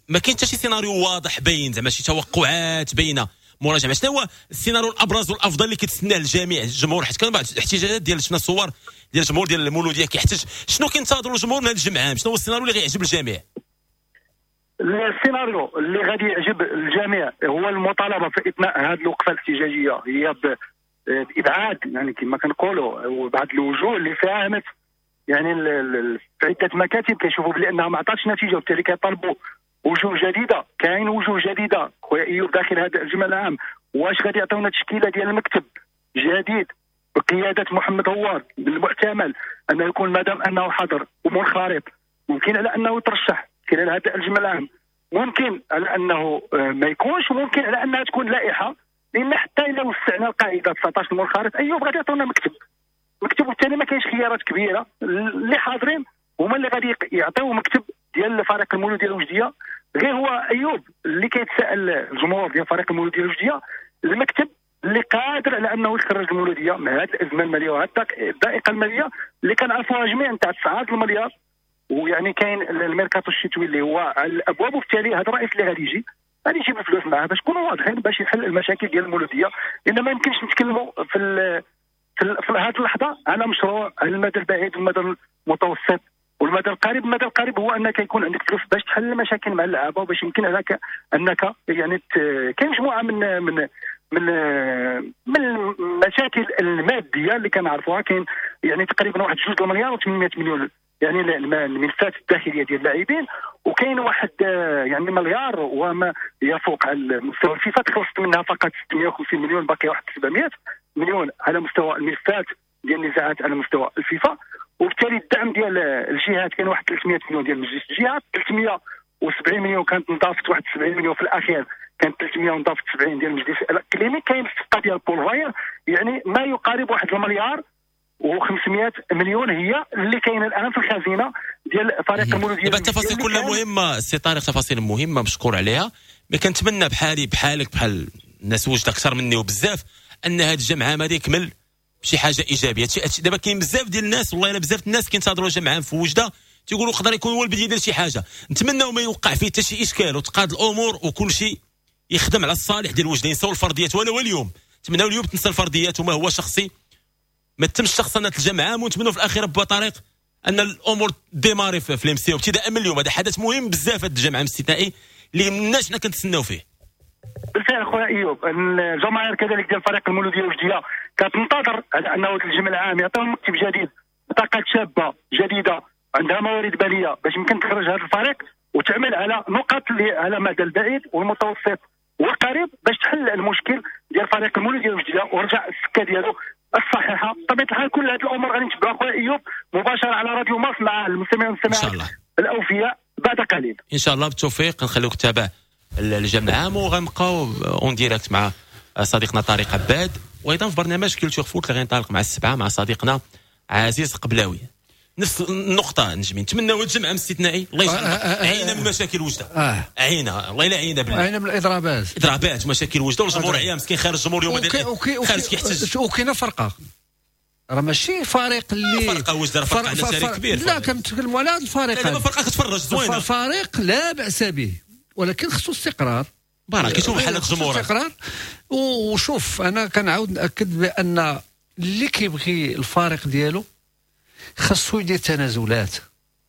ما كاين حتى شي سيناريو واضح باين، زعما شي توقعات باينة مراجعه. شنو هو السيناريو الابرز والافضل اللي كيتسناه الجميع الجمهور؟ حيت كان بعض الاحتجاجات ديال شفنا صور ديال الجمهور ديال المولوديه كيحتج، شنو كينتظروا الجمهور من هذا الجمع عام؟ شنو هو السيناريو اللي غيعجب الجميع؟ السيناريو اللي غادي يعجب الجميع هو المطالبة في اثناء هذه الوقفة الاحتجاجية هي بابعاد يعني كما كنقولوا وبعض الوجوه اللي ساهمت يعني في عده مكاتب كيشوفوا بلي انها ما عطاتش نتيجة، وبالتالي كيطالبوا وجوه جديدة. كاين وجوه جديدة خويا ايوب داخل هذا الجمع العام، واش غادي يعطيونا تشكيله ديال المكتب جديد بقيادة محمد هوار؟ بالمحتمل انه يكون مادام انه حاضر ومنخرط ممكن على انه يترشح خلال هذا الجمع العام، ممكن على انه ما يكونش، وممكن على انها تكون لائحة، لان حتى الا وسعنا القاعدة تسعطاش المنخرط ايوب غادي يعطونا مكتب مكتب، وبالتالي ما كاينش خيارات كبيرة. اللي حاضرين هما اللي غادي يعطيو مكتب ديال فريق المولوديه الوجديه. غير هو ايوب اللي كيتساءل الجمهور ديال فريق المولوديه الوجديه، المكتب اللي قادر على انه يخرج المولوديه من هذه الازمة المالية وهذه الضائقه المالية اللي كنعرفوها جميع نتاع تسعة المليار، ويعني كاين الميركاتو الشتوي اللي هو على الابواب، وبالتالي هذا الرئيس اللي غادي يجي غادي يجيب الفلوس معاه باش نكونوا واضحين باش يحل المشاكل ديال المولوديه. لان ما يمكنش نتكلموا في ال في, في هذه اللحظة على مشروع على المدى البعيد والمدى المتوسط والمدى القريب. المدى القريب هو انك يكون عندك فلوس باش تحل المشاكل مع اللعابه، وباش يمكن لك انك يعني كاين مجموعة من من من من المشاكل المادية اللي كنعرفوها. كاين يعني تقريبا واحد جوج المليار وثمانمائة مليون يعني الملفات الداخلية ديال اللاعبين، وكاين واحد يعني مليار وما يفوق على مستوى الفيفا تخلصت منها فقط ستمائة وخمسين مليون، باقي واحد سبعمائة مليون على مستوى الملفات ديال النزاعات على مستوى الفيفا. وبالتالي الدعم ديال الجهات كاين واحد ثلاثمائة مليون ديال مجلس الجهات، ثلاثمائة وسبعين مليون كانت انضافت واحد سبعين مليون في الاخير، كانت ثلاثمائة وانضافت سبعين ديال المجلس الاقليمي. كاين الصفقة ديال بول فاير يعني ما يقارب واحد المليار وخمسمائة مليون هي اللي كاينه الان في الخزينة ديال فريق المولوديه. دابا التفاصيل كلها مهمة سي طارق، تفاصيل مهمة مشكور عليها، mais كنتمنى بحالي بحالك بحال الناس وجد اكثر مني وبزاف ان هذا الجمع عام هذا يكمل بشي حاجة ايجابية. دابا كاين بزاف ديال الناس والله الا بزاف الناس كينتظروا الجمع عام في وجده تيقولوا يقدر يكون هو البداية ديال شي حاجة. نتمناو ما يوقع فيه حتى شي اشكال وتقاد الامور وكل شيء يخدم على الصالح ديال وجده، ينساو الفرديات ولو اليوم. نتمناو اليوم تنسى الفرديات وما هو شخصي، ما تمش شخصنة الجمع عام، ونتمنوا في الاخير با طريق ان الامور démarrer في ال MCO ابتداء من اليوم. هذا حدث مهم بزاف هذا الجمع العام الاستثنائي اللي الناس حنا كنتسناو فيه. بالفعل خويا ايوب، الجماهير كذلك ديال فريق المولوديه الوجديه كتنتظر على انه الجمع العام يعطيهم مكتب جديد، بطاقات شابه جديدة عندها موارد ماليه باش يمكن تخرج هذا الفريق وتعمل على نقاط اللي على المدى البعيد والمتوسط والقريب باش تحل المشكل ديال فريق المولوديه الوجديه ورجع السكة ديالو الصحيحة. بطبيعة الحال كل هذه الامور غادي نتبعوها خويا ايوب مباشرة على راديو مارس مع المستمعين والمستمعات الاوفياء بعد قليل ان شاء الله. بالتوفيق، نخليوك تتابع الجمع العام وغنبقاو en direct مع صديقنا طارق عباد، وايضا في برنامج Culture Foot اللي غينطلق مع السبعة مع صديقنا عزيز قبلاوي. نفس النقطة نجمي نتمناو هاد الجمعة استثنائي الله يجعل عينا من مشاكل وجده آه. عينا الله الا عينا بالله عينا من الاضرابات اضرابات مشاكل وجده والجمهور عيا مسكين خارج الجمهور اليوم خارج كيحتج. وكاينه فرقه راه ماشي فريق اللي فرقه وجده راه فرقه عندها تاريخ كبير. لا كنتكلموا على هذا الفريق. لا فرقه كتفرج زوينة فريق لا باس به ولكن خصو استقرار بارك كيشوف بحال الجمهور استقرار. وشوف انا كنعاود ناكد بان اللي كيبغي الفريق ديالو خاصو يدير تنازلات،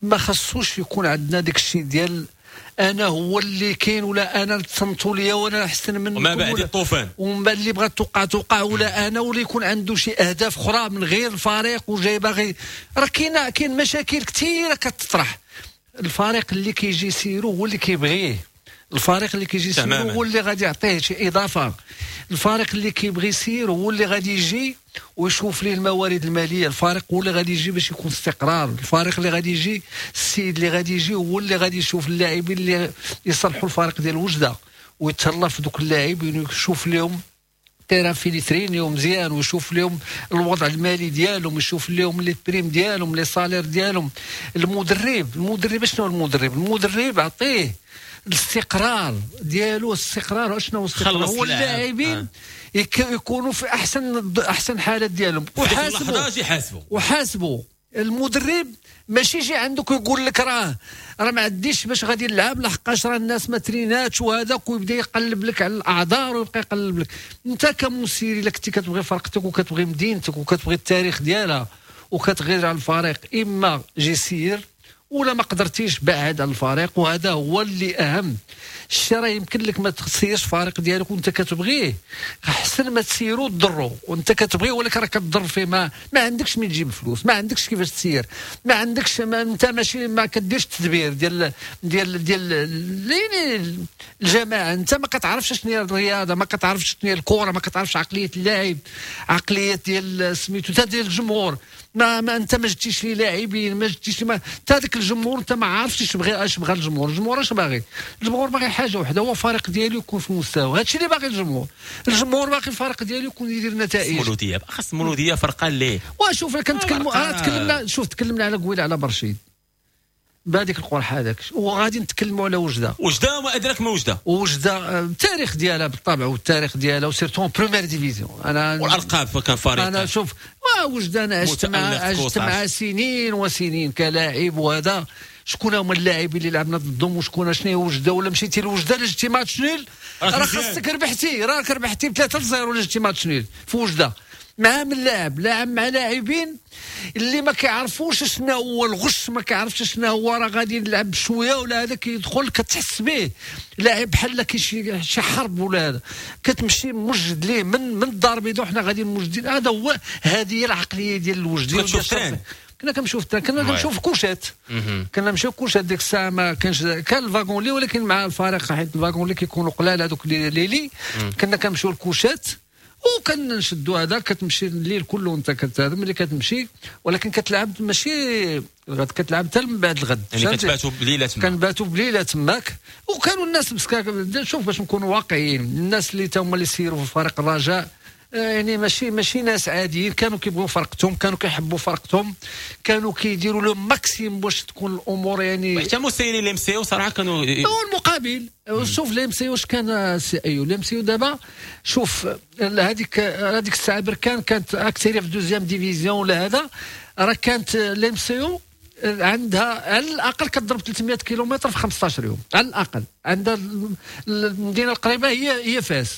ما خاصوش يكون عندنا داك الشيء ديال انا هو اللي كاين ولا انا تصنتوا ليا وانا احسن منكم وما بعد الطوفان ومن بعد اللي بغات توقع توقع ولا انا ولا يكون عنده شي اهداف اخرى من غير الفريق وجاي باغي. راه كاين كاين مشاكل كثيرة كتطرح. الفريق اللي كيجي يسيرو هو اللي كيبغيه، الفريق اللي كيجي يسيرو هو اللي غادي يعطيه شي اضافه، الفريق اللي كيبغي يسير هو اللي غادي يجي ويشوف ليه الموارد المالية، الفريق هو اللي غادي يجي باش يكون استقرار، الفريق اللي غادي يجي السيد اللي غادي يجي هو اللي غادي يشوف اللاعبين اللي يصلحوا الفريق ديال وجده ويتهلا في دوك اللاعبين ويشوف لهم terrain فين يترينيو مزيان ويشوف لهم الوضع المالي ديالهم ويشوف لهم les primes ديالهم les salaires ديالهم. المدرب المدرب شنو المدرب؟ المدرب عطية الاستقرار ديالو. الاستقرار شنو هو الاستقرار؟ هو اللاعبين آه. يكونوا في احسن احسن حالات ديالهم وحاسبوا وحاسبوا المدرب. ماشي يجي عندك ويقول لك راه راه ما عنديش باش غادي نلعب لحقاش راه الناس ما تريناتش وهذاك، ويبدا يقلب لك على الاعذار ويبقى يقلب لك. انت كمسير الا كنتي كتبغي فرقتك وكتبغي مدينتك وكتبغي التاريخ ديالها وكتغير على الفريق، اما جي سير ولا ما قدرتيش بعد على الفريق. وهذا هو اللي اهم الشيء. راه يمكن لك ما تسيرش الفريق ديالك وانت كتبغيه، احسن ما تسيرو تضرو وانت كتبغيه ولكن راه كتضر فيه. ما ما عندكش من تجيب فلوس، ما عندكش كيفاش تسير، ما عندكش ما انت ماشي ما كديرش التدبير ديال ديال ديال يعني الجماعة. انت ما كتعرفش شنو هي الرياضة، ما كتعرفش شنو هي الكره، ما كتعرفش عقلية اللاعب، عقلية ديال سميتو حتى ديال الجمهور. ما, ما انت ما جبتيش لي لاعبين، ما جبتيش ما حتى هذاك الجمهور انت ما عارفش اش بغى اش بغى الجمهور. الجمهور اش باغي؟ الجمهور باغي حاجة وحده، هو الفريق ديالو يكون في المستوى. هادشي اللي باغي الجمهور. الجمهور باغي الفريق ديالو يكون يدير نتائج. مولوديه خاص مولوديه فرقه اللي وشوف كنتكلموا آه تكلمنا شوف تكلمنا على قويله على برشيد بهذيك القرحه هذاك، وغادي نتكلموا على وجده. وجده وما ادراك ما وجده. وجده التاريخ ديالها بالطبع والتاريخ ديالها و surtout première division. انا والالقاب كان فريق. انا شوف وجده انا عشت مع عشت مع سنين وسنين كلاعب، وهذا شكون هما اللاعبين اللي لعبنا ضدهم وشكون شنو هي وجده. ولا مشيتي لوجده لا جبتي match nul راه خاصك ربحتي، راك ربحتي بثلاثة لصفر ولا جبتي match nul في وجده مع من لاعب لاعب مع لاعبين اللي ما كيعرفوش شنو هو الغش، ما كيعرفش شنو هو راه غادي نلعب شوية ولا هذا كيدخل كتحس به لاعب بحال كي شي حرب ولا هذا، كتمشي موجد ليه من من الدار البيضاء وحنا غادي موجدين. هذا هو هذه هي العقلية ديال الوجدي. كتشوف train، كنا كنمشيو في ال train، كنا كنمشيو في كوشات، كنا نمشيو كوشات ديك الساعة ما كانش كان ال wagon-lit، ولكن مع الفريق حيت ال wagon-lit كيكونوا قلال هذوك les lits، كنا كنمشيو الكوشات وكنشدوا هذا. كتمشي الليل كله وانت كتهضم ملي كتمشي، ولكن كتلعب ماشي الغد، كتلعب حتى من بعد الغد. يعني كتباتوا بليلة تماك. كنباتوا بليلة تماك. وكانوا الناس مسكاك. شوف باش نكونوا واقعيين، الناس اللي تا هما اللي سيروا في فريق الرجاء يعني ماشي ماشي ناس عاديين، كانوا كيبغوا فرقتهم، كانوا كيحبوا فرقتهم، كانوا كيديروا le maximum باش تكون الامور يعني. حتى مسيرين ال MCO صراحة كانوا المقابل. شوف ال MCO واش كان سي ايو ال MCO دابا شوف هذيك هذيك الساعة بركان كانت اكثر في deuxième division ولا هذا، راه كانت ال MCO عندها على الاقل كتضرب ثلاثمية كيلومتر في خمسطاش يوم على الاقل. عندها المدينة القريبة هي هي فاس،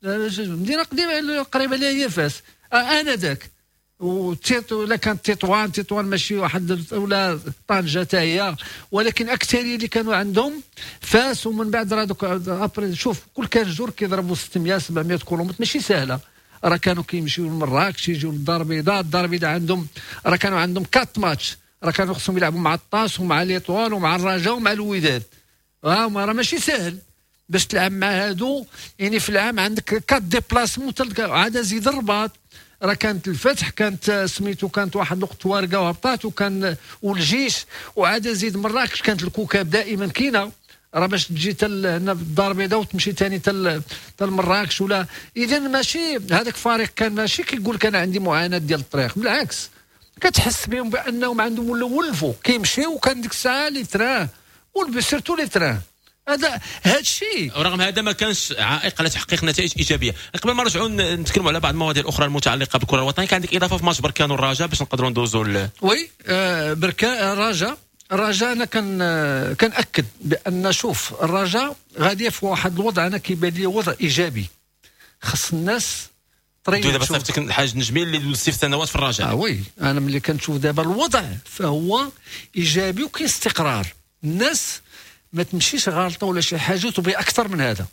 المدينة القديمة القريبة لها هي فاس انا ذاك. وتيت ولا كانت تطوان، تطوان ماشي واحد ولا طنجه حتى هي، ولكن اكثرية اللي كانوا عندهم فاس. ومن بعد راه دوك شوف كل quinze jours كيضربوا ستمية سبعمية كيلومتر، ماشي سهلة. راه كانوا كيمشيو لمراكش، يجيو للدار البيضاء، الدار البيضاء عندهم راه كانوا عندهم quatre matchs، راه كانوا خصهم يلعبوا مع الطاس ومع l'Étoile ومع الرجاء ومع الوداد. راه ماشي سهل باش تلعب مع هادو، يعني في العام عندك quatre déplacements. عاد زيد الرباط راه كانت الفتح، كانت سميتو كانت واحد الوقت وارقه وهبطات، وكان والجيش، وعاد زيد مراكش كانت الكوكب دائما كاينه. راه باش تجي تل هنا في الدار البيضاء وتمشي ثاني تل تل مراكش ولا. اذا ماشي هذاك فريق كان ماشي كيقول كان عندي معاناة ديال الطريق، بالعكس كتحس بهم بانهم عندهم ولاو ولفوا كيمشيو، وكان ديك الساعة les trains surtout les trains. هذا هذا الشيء، ورغم هذا ما كانش عائق على تحقيق نتائج ايجابية. قبل ما نرجعوا نتكلموا على بعض المواضيع الاخرى المتعلقة بالكرة الوطنية، كان عندك اضافه في ماتش بركان والرجاء باش نقدروا ندوزوا ل... oui آه بركان الرجاء. الرجاء انا كان كنأكد بان شوف الرجاء غادية في واحد الوضع انا كيبان لي وضع ايجابي، خص الناس طريق. دابا صيفطك الحاج نجمي اللي دوزتي في سنوات في الرجاء. اه oui، انا ملي كنشوف دابا الوضع فهو ايجابي وكاين استقرار، الناس ما تمشيش غالطه ولا شي حاجة وتبغي اكثر من هذا.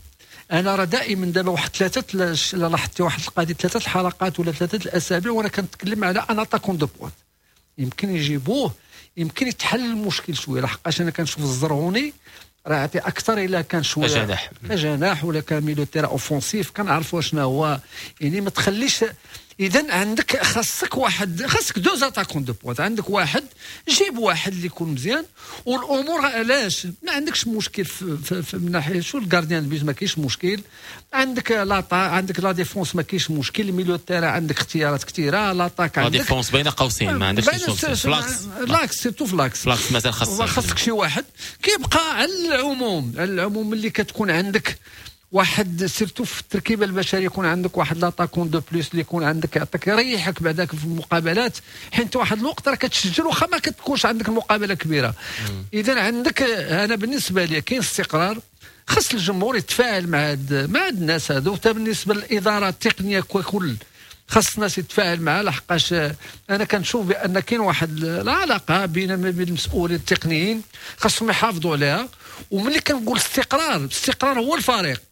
انا راه دائما دابا واحد ثلاثة، لاحظتي واحد القضية، ثلاثة الحلقات ولا ثلاثة الاسابيع وانا كنتكلم على un attaquant de pointe، يمكن يجيبوه، يمكن يتحل المشكل شوية، لحقاش انا كنشوف الزرهوني راه يعطي اكثر الا كان شوية جناح جناح ولا كان milieu terrain offensif، كنعرفوا شنو هو، يعني ما تخليش. اذا عندك خاصك واحد، خاصك deux attaquants de pointe، عندك واحد، جيب واحد اللي يكون مزيان والامور. علاش ما عندكش مشكل في, في, في من ناحية شو ال gardien de but ما كاينش مشكل، عندك l'atta عندك la défense ما كاينش مشكل، milieu terrain عندك اختيارات كثيرة، l'attaque عندك la défense بين قوسين ما عندكش l'axe l'axe surtout في l'axe l'axe مازال خاصك خاصك شي واحد. كيبقى على العموم، على العموم ملي كتكون عندك واحد surtout في التركيبة البشرية يكون عندك واحد l'attaquant de plus اللي يكون عندك يعطيك يريحك بعداك في المقابلات، حيت واحد الوقت راه كتسجل واخا ما كتكونش عندك المقابلة كبيرة. اذا عندك، انا بالنسبة لي كاين استقرار، خص الجمهور يتفاعل مع هاد مع هاد الناس هادو. حتى بالنسبة للادارة التقنية ككل خص الناس يتفاعل معها، لحقاش انا كنشوف بان كاين واحد العلاقة بين ما بين المسؤولين التقنيين خاصهم يحافظوا عليها. وملي كنقول استقرار، الاستقرار هو الفريق،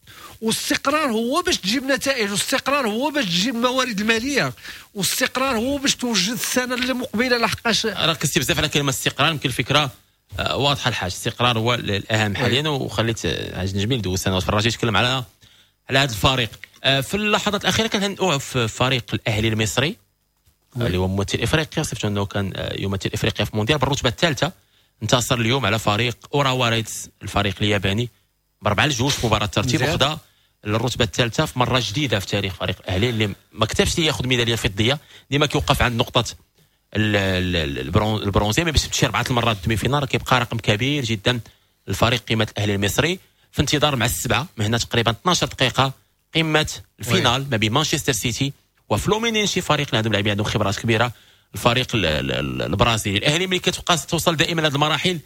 والاستقرار هو باش تجيب نتائج، والاستقرار هو باش تجيب الموارد المالية، والاستقرار هو باش توجد السنة اللي مقبله. لحقاش ركزتي بزاف على كلمة استقرار، يمكن الفكرة واضحة الحاج، الاستقرار هو الاهم حاليا. وخليت حاج نجمي دوز سنوات في الرجاء يتكلم على على هذا الفريق. في اللحظات الاخيرة كان في فريق الاهلي المصري اللي هو ممثل افريقيا، صفته انه كان يمثل افريقيا في المونديال بالرتبه الثالثة، انتصر اليوم على فريق اوراوا ريدز الفريق الياباني باربعة لجوج في مباراة الترتيب، وخدا الرتبة الثالثة في مرة جديدة في تاريخ فريق الاهلي اللي ما كتبش ليه ياخذ ميدالية فضية، ديما كيوقف عند نقطة البرونزيه، باش تمشي اربعة المرات demi-finale كيبقى رقم كبير جدا الفريق قيمة الاهلي المصري. في انتظار مع السبعة من هنا تقريبا اثناش دقيقة قمة ال finale ما بين مانشستر سيتي وفلومينينشي، فريق اللي عندهم لاعبين عندهم خبرات كبيرة، الفريق البرازيلي. الاهلي ملي كتبقى توصل دائما لهذه المراحل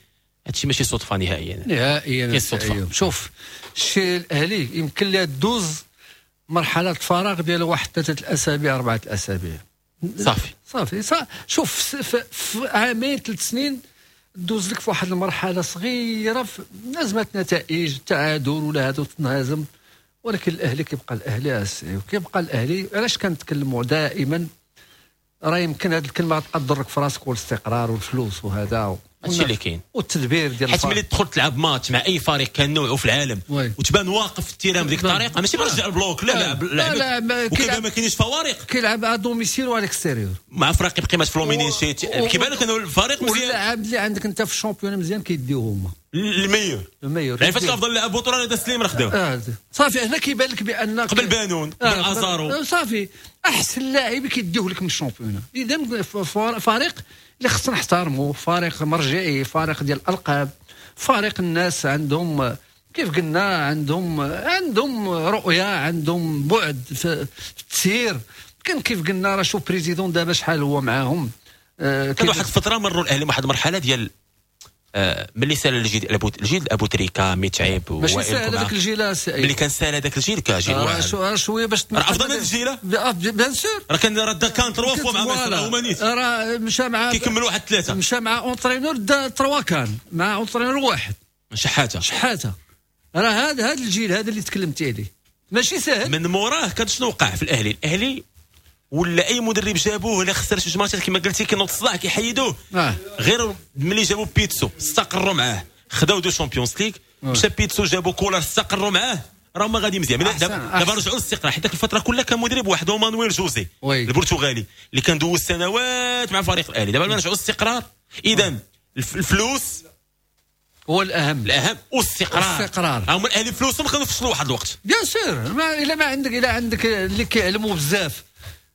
هادشي ماشي صدفة نهائيا نهائيا. صدفة. شوف الشيء الاهلي يمكن لها دوز مرحلة الفراغ ديال واحد ثلاثة الاسابيع اربعة الاسابيع صافي صافي صافي. شوف في, في عامين ثلاث سنين دوز لك في واحد المرحلة صغيرة في ازمة نتائج تعادل ولا هذا تنهزم، ولكن الاهلي كيبقى الاهلي وكيبقى الاهلي. علاش كنتكلموا دائما؟ راه يمكن هذه الكلمة تبقى تضرك في راسك، والاستقرار والفلوس وهذا هادشي اللي كاين والتدبير ديال، حيت ملي تدخل تلعب ماتش مع اي فريق كان نوعه في العالم oui. وتبان واقف في ال terrain بديك الطريقة، ماشي برجع ال bloc، لا لا لا لا وكيبان ما كاينش فوارق، كيلعب à domicile و à l'extérieur مع فريق بقيمة فلومينينشي، كيبان لك انه الفريق مزيان، واللاعب اللي عندك انت في ال championnat مزيان كيديوه هما ال meilleur ال meilleur. يعني فاش افضل لاعب بطوله هذا سليم راه خداوه آه. صافي هنا كيبان لك بان قبل بانون قبل آه. ازارو صافي احسن لاعب كيديوه لك من ال championnat. اذا فريق اللي خصنا نحترمه، فريق مرجعي، فريق ديال الالقاب، فريق الناس عندهم كيف قلنا عندهم عندهم رؤية، عندهم بعد في التسيير. كان كيف قلنا راه شوف président دابا شحال هو معاهم. آه كان واحد الفترة مروا الاهلي واحد المرحلة ديال آه ملي سال الجيل الجيل ابو تريكا متعب ماشي سال هذاك الجيل، ملي كان سال هذاك الجيل كجيل واحد آه شوية باش راه افضل من الجيل bien sûr، راه كان راه دا كان trois fois مع مصر هما نيت، راه مشى مع كيكمل واحد ثلاثة، مشى مع entraîneur دا trois CAN مع entraîneur واحد شحاته شحاته. راه هذا هذا الجيل هذا اللي تكلمتي عليه ماشي سهل. من موراه كان شنو وقع في الاهلي؟ الاهلي ولا اي مدرب جابوه الا خسر شي ماتشات كما قلتي كينوض الصداع كيحيدوه. آه. غير ملي جابوا بيتسو استقروا معاه، خداو deux Champions League، مشى بيتسو جابوا كولر استقروا معاه، راه ما غادي مزيان. دابا رجعوا للاستقرار، حيت ديك الفترة كلها كان مدرب واحد هو مانويل جوزي البرتغالي اللي كان دوز سنوات مع فريق الاهلي. دابا رجعوا للاستقرار. اذا الفلوس هو الاهم، الاهم والاستقرار. الاستقرار هما الاهلي فلوسهم كانوا فشلوا واحد الوقت bien sûr. ما الا ما عندك الا عندك اللي كيعلموا بزاف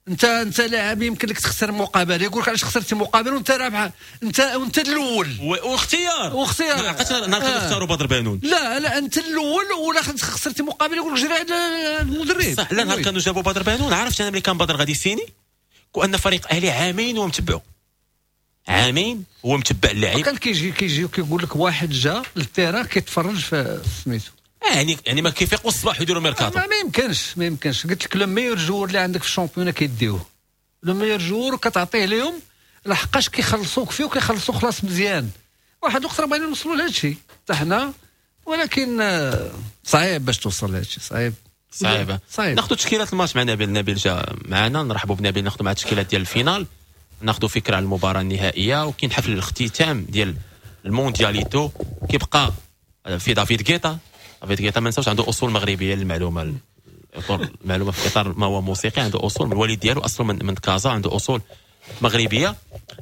انت انت لاعب يمكن لك تخسر مقابله، يقول لك علاش خسرتي مقابله وانت رابح، انت وانت الاول واختيار واختيار. نهار آه. اختاروا بدر بانون. لا لا انت الاول ولا خسرتي مقابله يقول لك جري على المدرب. صح. لا نهار كانوا جابوا بدر بانون عرفت انا ملي كان بدر غادي سيني وان فريق اهلي عامين هو متبعو، عامين هو متبع اللاعب. كان كيجي كيجي وكيقول لك واحد جا لل terrain كيتفرج في سميتو، يعني يعني ما كيفيقوا الصباح يديروا ميركاتو. ما, ما يمكنش ما يمكنش. قلت لك le meilleur joueur اللي عندك في ال championnat كيديوه، le meilleur joueur كتعطيه لهم لحقاش كيخلصوك فيه وكيخلصوا خلاص مزيان. واحد الوقت راه بغينا نوصلوا لهذا الشيء حتى حنا، ولكن صعيب باش توصل لهذا الشيء، صعيب صعيبة صعيب. ناخذ تشكيلات الماتش مع نبيل. نبيل جا معنا، نرحبوا بنبيل، ناخذ مع التشكيلات ديال ال finale، ناخذ فكرة على المباراة النهائية. وكاين حفل الاختتام ديال الموندياليتو كيبقى في دافيد غيتا. دافيد غيتا ما نساوش عنده اصول مغربية، للمعلومة المعلومة في اطار ما هو موسيقي، عنده اصول من الوالد ديالو اصله من, من كازا، عنده اصول مغربية.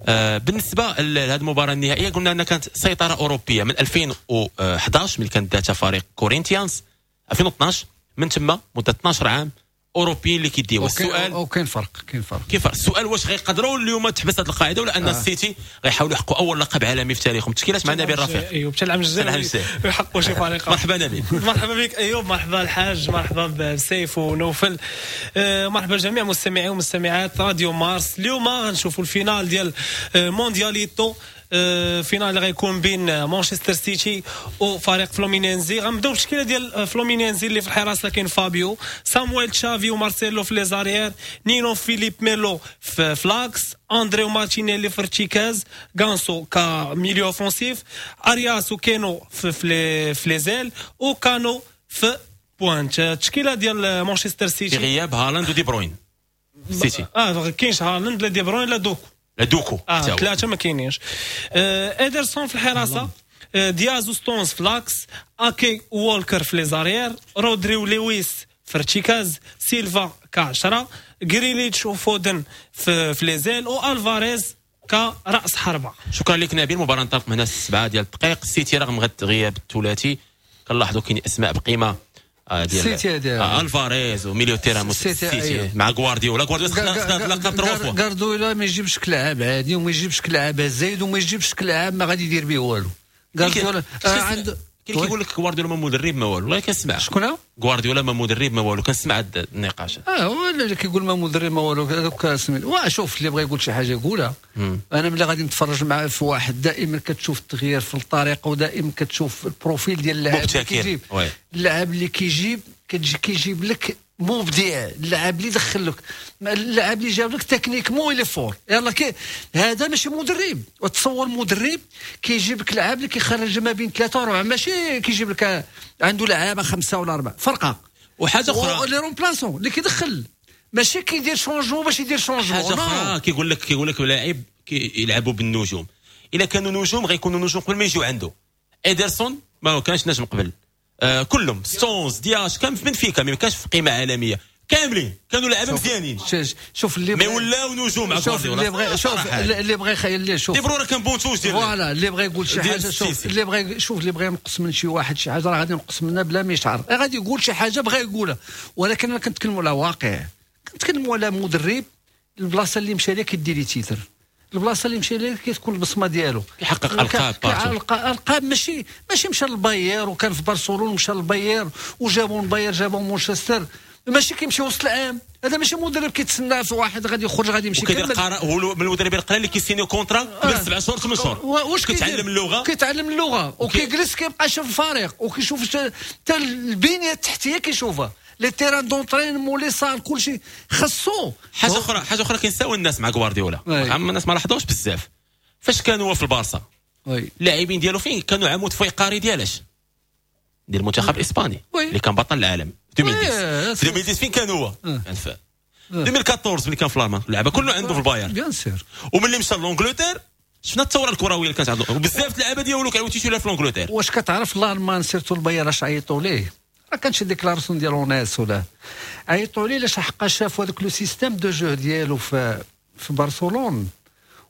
آه بالنسبة لهذه المباراة النهائية قلنا انها كانت سيطرة اوروبية من ألفين وأحد عشر ملي كانت داتها فريق كورينتيانس، ألفين واثناش من تما مده اثناش عام اوروبيين اللي كيديو. السؤال او كاين فرق، كاين فرق كيف السؤال واش غيقدروا اليوم تحبس هذه القاعدة ولا ان آه. السيتي غيحاولوا يحققوا اول لقب عالمي في تاريخهم؟ تشكيلات مع نبيل رفيق. ايوب حتى العام الجاي يحققوا شي فريق. مرحبا نبيل. مرحبا بك ايوب، مرحبا الحاج، مرحبا بسيف ونوفل، آه مرحبا جميع مستمعي ومستمعات راديو مارس. اليوم غنشوفوا ال finale ديال موندياليتو، finale اللي غيكون بين مانشستر سيتي وفريق فلومينينزي. غنبداو بالتشكيله ديال فلومينينزي اللي في الحراسة كاين فابيو، سامويل تشافي ومارسيلو في les arrières، نينو فيليب ميلو في l'axe، اندريو مارتينيلي في ارتكاز، غانسو ك milieu offensif، ارياس وكينو في في les ailes، وكانو في pointe. التشكيلة ديال مانشستر سيتي في غياب هالاند ودي بروين. سيتي اه كاينش هالاند لا دي بروين لا دوكو، لا دوكو اه ثلاثة ما كاينينش. آه ادرسون في الحراسة، آه دياز وستونز في l'axe، اكي وولكر في les arrières، رودري ولويس في ارتكاز، سيلفا كعشرة، غريليتش وفودن في, في les ailes، والفاريز كراس حربه. شكرا لك نبيل. المباراة انطلق من هنا سبعة ديال الدقائق. السيتي رغم غياب الثلاثي كنلاحظوا كاين اسماء بقيمة ديال سيتي آه الفاريز و milieu terrain سيتي مع غوارديولا. غوارديولا خدا لقب trois fois. غوارديولا ما يجيبش كلاعب عادي وما يجيبش كلاعب زايد وما يجيبش كلاعب ما غادي يدير به والو. غوارديولا عنده كاين كيقول لك غوارديولا ما مدرب ما والو، والله كنسمع شكون غوارديولا ما مدرب ما والو، كنسمع هاد النقاش. اه هو اللي كيقول ما مدرب ما والو هذوك سميت. وشوف اللي بغى يقول شي حاجة يقولها. انا ملي غادي نتفرج مع في واحد دائما كتشوف التغيير في الطريقة ودائما كتشوف ال profil ديال اللاعب اللي كيجيب، اللاعب اللي كيجيب كتجي كيجيب لك مبدع، اللاعب اللي دخل لك، اللاعب اللي جاب لك techniquement il est fort. يلا كي هذا ماشي مدرب. وتصور مدرب كيجيب لك لاعب اللي كيخرج ما بين ثلاثة واربعة، ماشي كيجيب لك عنده لعابه خمسة ولا اربعة فرقه. وحاجه اخرى les remplaçants اللي كيدخل ماشي كيدير changement باش يدير changement. حاجة اخرى كيقول لك كيقول لك لاعب كيلعبوا بالنجوم، الا كانوا نجوم غيكونوا نجوم قبل ما يجيو عنده. ادرسون ما كانش نجم قبل، آه كلهم ستونز دياش كان في بنفيكا ما كانش في قيمة عالمية، كاملين كانوا لعابه مزيانين. شوف اللي mais ولاو نجوم مع شوف اللي بغى، شوف اللي بغى يخيل، شوف دي بروين كان banc de touche ديال voilà اللي بغى يقول شي حاجة، شوف اللي بغى، شوف اللي بغى ينقص من شي واحد شي حاجة راه غادي ينقص منها بلا ما يشعر، غادي يقول شي حاجة بغى يقولها. ولكن انا كنتكلموا على واقع، كنتكلموا على مدرب البلاصة اللي مشى لها كيدير les titres، البلاصة اللي مشى لها كتكون البصمة ديالو، كيحقق القاب، القاب. ماشي ماشي مشى للباير وكان في برشلونة ومشى للباير وجابوا الباير جابوا مانشستر، ماشي كيمشي وسط العام. هذا ماشي مدرب كيتسنى في واحد غادي يخرج غادي يمشي. وكيدير قرار هو من المدربين القلال اللي كيسينيو contrat قبل سبع شهور ثمان شهور. واش كيتعلم اللغة، كيتعلم اللغة وكيجلس كيبقى يشوف الفريق وكيشوف حتى البنية التحتية كيشوفها، les terrains d'entraînement les salles كلشي خصو. حاجة اخرى، حاجة اخرى كينساو الناس مع غوارديولا، عم الناس ما لاحظوش بزاف فاش كان هو في البارسا اللاعبين ديالو فين كانوا عمود فقري ديالاش ديال المنتخب الاسباني اللي كان بطل العالم ألفين وعشرة. في ألفين وعشرة فين كان هو؟ كان في ألفين وأربعطاش ملي كان في الالمان اللعبة كله عنده في البايرن bien sûr. وملي مشى l'Angleterre شفنا الثورة الكروية اللي كانت عنده، وبزاف اللعابه ديالو كانوا تيشيلوها في l'Angleterre. واش كتعرف الالمان surtout البايرن اش عيطوا ليه؟ راه كان شي déclaration ديال اوناس ولا عيطوا ليه لاش حقا شافوا هذاك le système de jeu ديالو في في برشلونة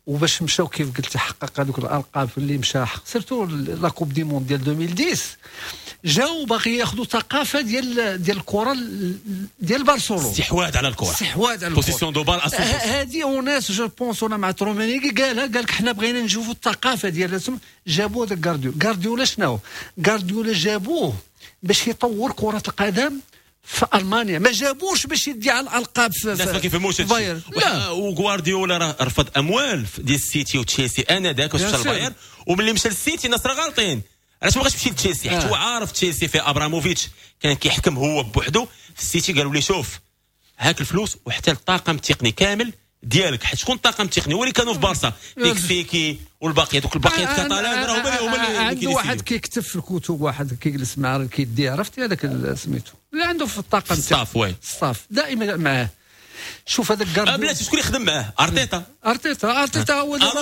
وباش مشاو كيف قلت حقق هذوك الالقاب اللي مشى، surtout la Coupe du monde ديال ألفين وعشرة، جاو باغي ياخذوا ثقافة ديال ديال الكره ديال برشلونه. استحواذ على الكره. استحواذ على الكره، possession de balle. هذه وناس je pense انا مع رومينيغي قالها، قال لك حنا بغينا نشوفوا الثقافة ديال، جابوا هذاك غارديولا. غارديولا شنو؟ غارديولا جابوه باش يطور كره القدم في المانيا، ما جابوش باش يدي على الالقاب. في الناس ما كيفهموش. بايرن. لا، وغوارديولا راه رفض اموال ديال السيتي وتشيلسي انذاك باش مشى للبايرن، وملي مشى للسيتي الناس راه غالطين، علاش ما بغاش يمشي لتشيلسي؟ حيت هو عارف تشيلسي في ابراموفيتش كان كيحكم هو بوحدو. في السيتي قالوا لي شوف، هاك الفلوس وحتى الطاقم التقني كامل ديالك، حيت شكون الطاقم التقني؟ هو اللي كانوا في بارسا، ديك سيكي والباقيه، دوك الباقية الكاتالان راه هما هما اللي عنده. واحد كيكتب في الكتب، واحد كيجلس مع كيدي، عرفتي هذاك سميتو اللي عنده في الطاقم. staff، oui. staff دائما معاه. شوف هذاك غارديولا، بلاتي، شكون يخدم معاه؟ ارتيتا. ارتيتا، ارتيتا هو دابا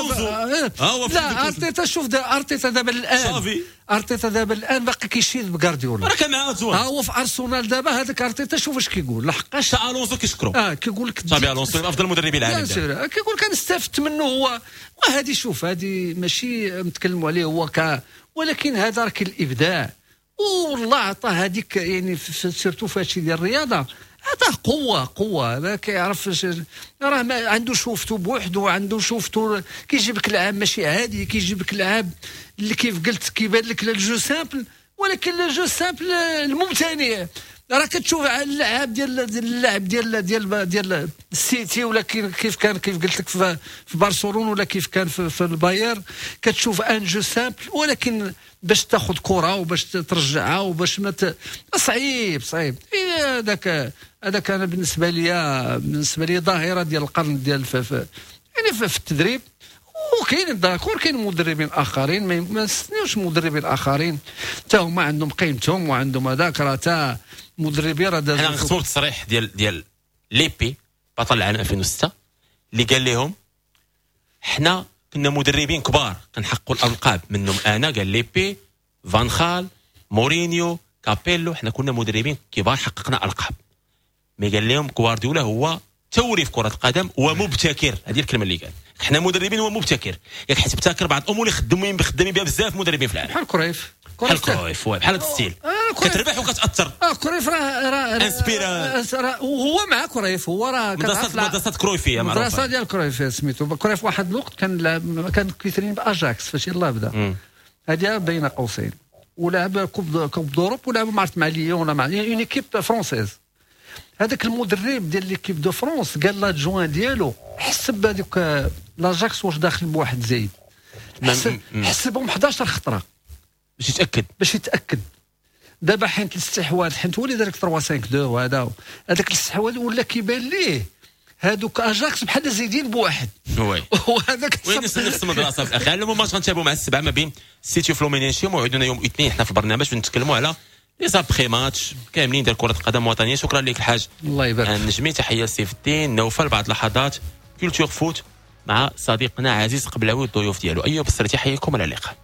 آه. لا، ارتيتا، شوف ارتيتا دابا الان صافي. ارتيتا دابا الان باقي كيشيد بغارديولا. راه كان معاه. ها هو في ارسنال دابا هذاك ارتيتا، شوف اش كيقول لحقاش الونسو كيشكرو. اه، كيقول لك تشابي الونسو افضل مدربي العالم. كيقول لك انا استفدت منه هو. وهذه شوف، هذه ماشي نتكلموا عليه هو ك ولكن هذا راه الابداع، والله عطاه هذيك، يعني surtout في هادشي ديال الرياضة عطاه قوه قوه. ما كيعرف، راه ما عنده شوفته بوحده، عنده شوفته، كيجيب لك لعاب ماشي عادي، كيجيب لك لعاب اللي كيف قلت كيبان لك le jeu simple، ولكن le jeu simple الممتنع. راه كتشوف اللاعب ديال اللاعب ديال ديال ديال السيتي ولا كيف كان، كيف قلت لك، في, في برشلونة ولا كيف كان في, في البايرن، كتشوف un jeu simple، ولكن باش تاخذ كره وباش ترجعها وباش ما ت... صعيب صعيب. هذاك هذاك انا بالنسبة لي بالنسبة لي ظاهره ديال القرن ديال في, في يعني في, في التدريب. وكاين d'accord، كاين مدربين اخرين، ما نستناوش مدربين اخرين، حتى هما عندهم قيمتهم وعندهم هذاك، راه تا مدربين راه. حنا نختموا التصريح ديال ديال ليبي بطل العالم ألفين وستة اللي قال لهم حنا كنا مدربين كبار كنحققوا الالقاب، منهم انا، قال ليبي، فان خال، مورينيو، كابيلو، حنا كنا مدربين كبار حققنا القاب. mais قال لهم غوارديولا هو ثوري في كره القدم ومبتكر. هذه الكلمة اللي قال، حنا مدربين ومبتكر، ياك حيت ابتكر بعض الامور اللي خدامين خدامين بها بزاف مدربين في العالم. بحال كرويف. بحال كرويف، بحال هذا style آه كتربح وكتاثر. اه، كرويف راه راه inspiré. وهو مع كرويف هو راه مدرسه مدرسه كرويفيه. معروفه، مدرسه ديال كرويف. سميتو كرويف واحد الوقت كان كان كيترين باجاكس فاش يلاه بدا، هذه بين قوسين، ولعب coupe coupe d'Europe ولعب ما عرفت مع ليون ولا مع une équipe française. هذاك المدرب ديال l'équipe de France قال l'adjoint ديالو حسب هذوك l'Ajax واش داخل بواحد زايد، حسب حسبهم حداشر خطره. باش يتاكد. باش يتاكد. دابا حيت الاستحواذ، حيت هو اللي دار ثلاثة خمسة اثنين، وهذا هذاك الاستحواذ ولا كيبان ليه هذوك اجاكس بحال زايدين بواحد. oui. وهذاك وين نفس المدرسة في الاخير. المهم ماتش غنتابعوا مع السبعة ما بين سيتي وفلومينينشي. موعدنا يوم الاثنين حنا في البرنامج باش نتكلموا على les après-matchs كاملين ديال كره القدم الوطنيه. شكرا لك الحاج. الله يبارك. النجمي، تحية سيف الدين، نوفل. بعد لحظات Culture Foot مع صديقنا عزيز قبلاوي والضيوف ديالو. ايوب السرتي حياكم، الى اللقاء.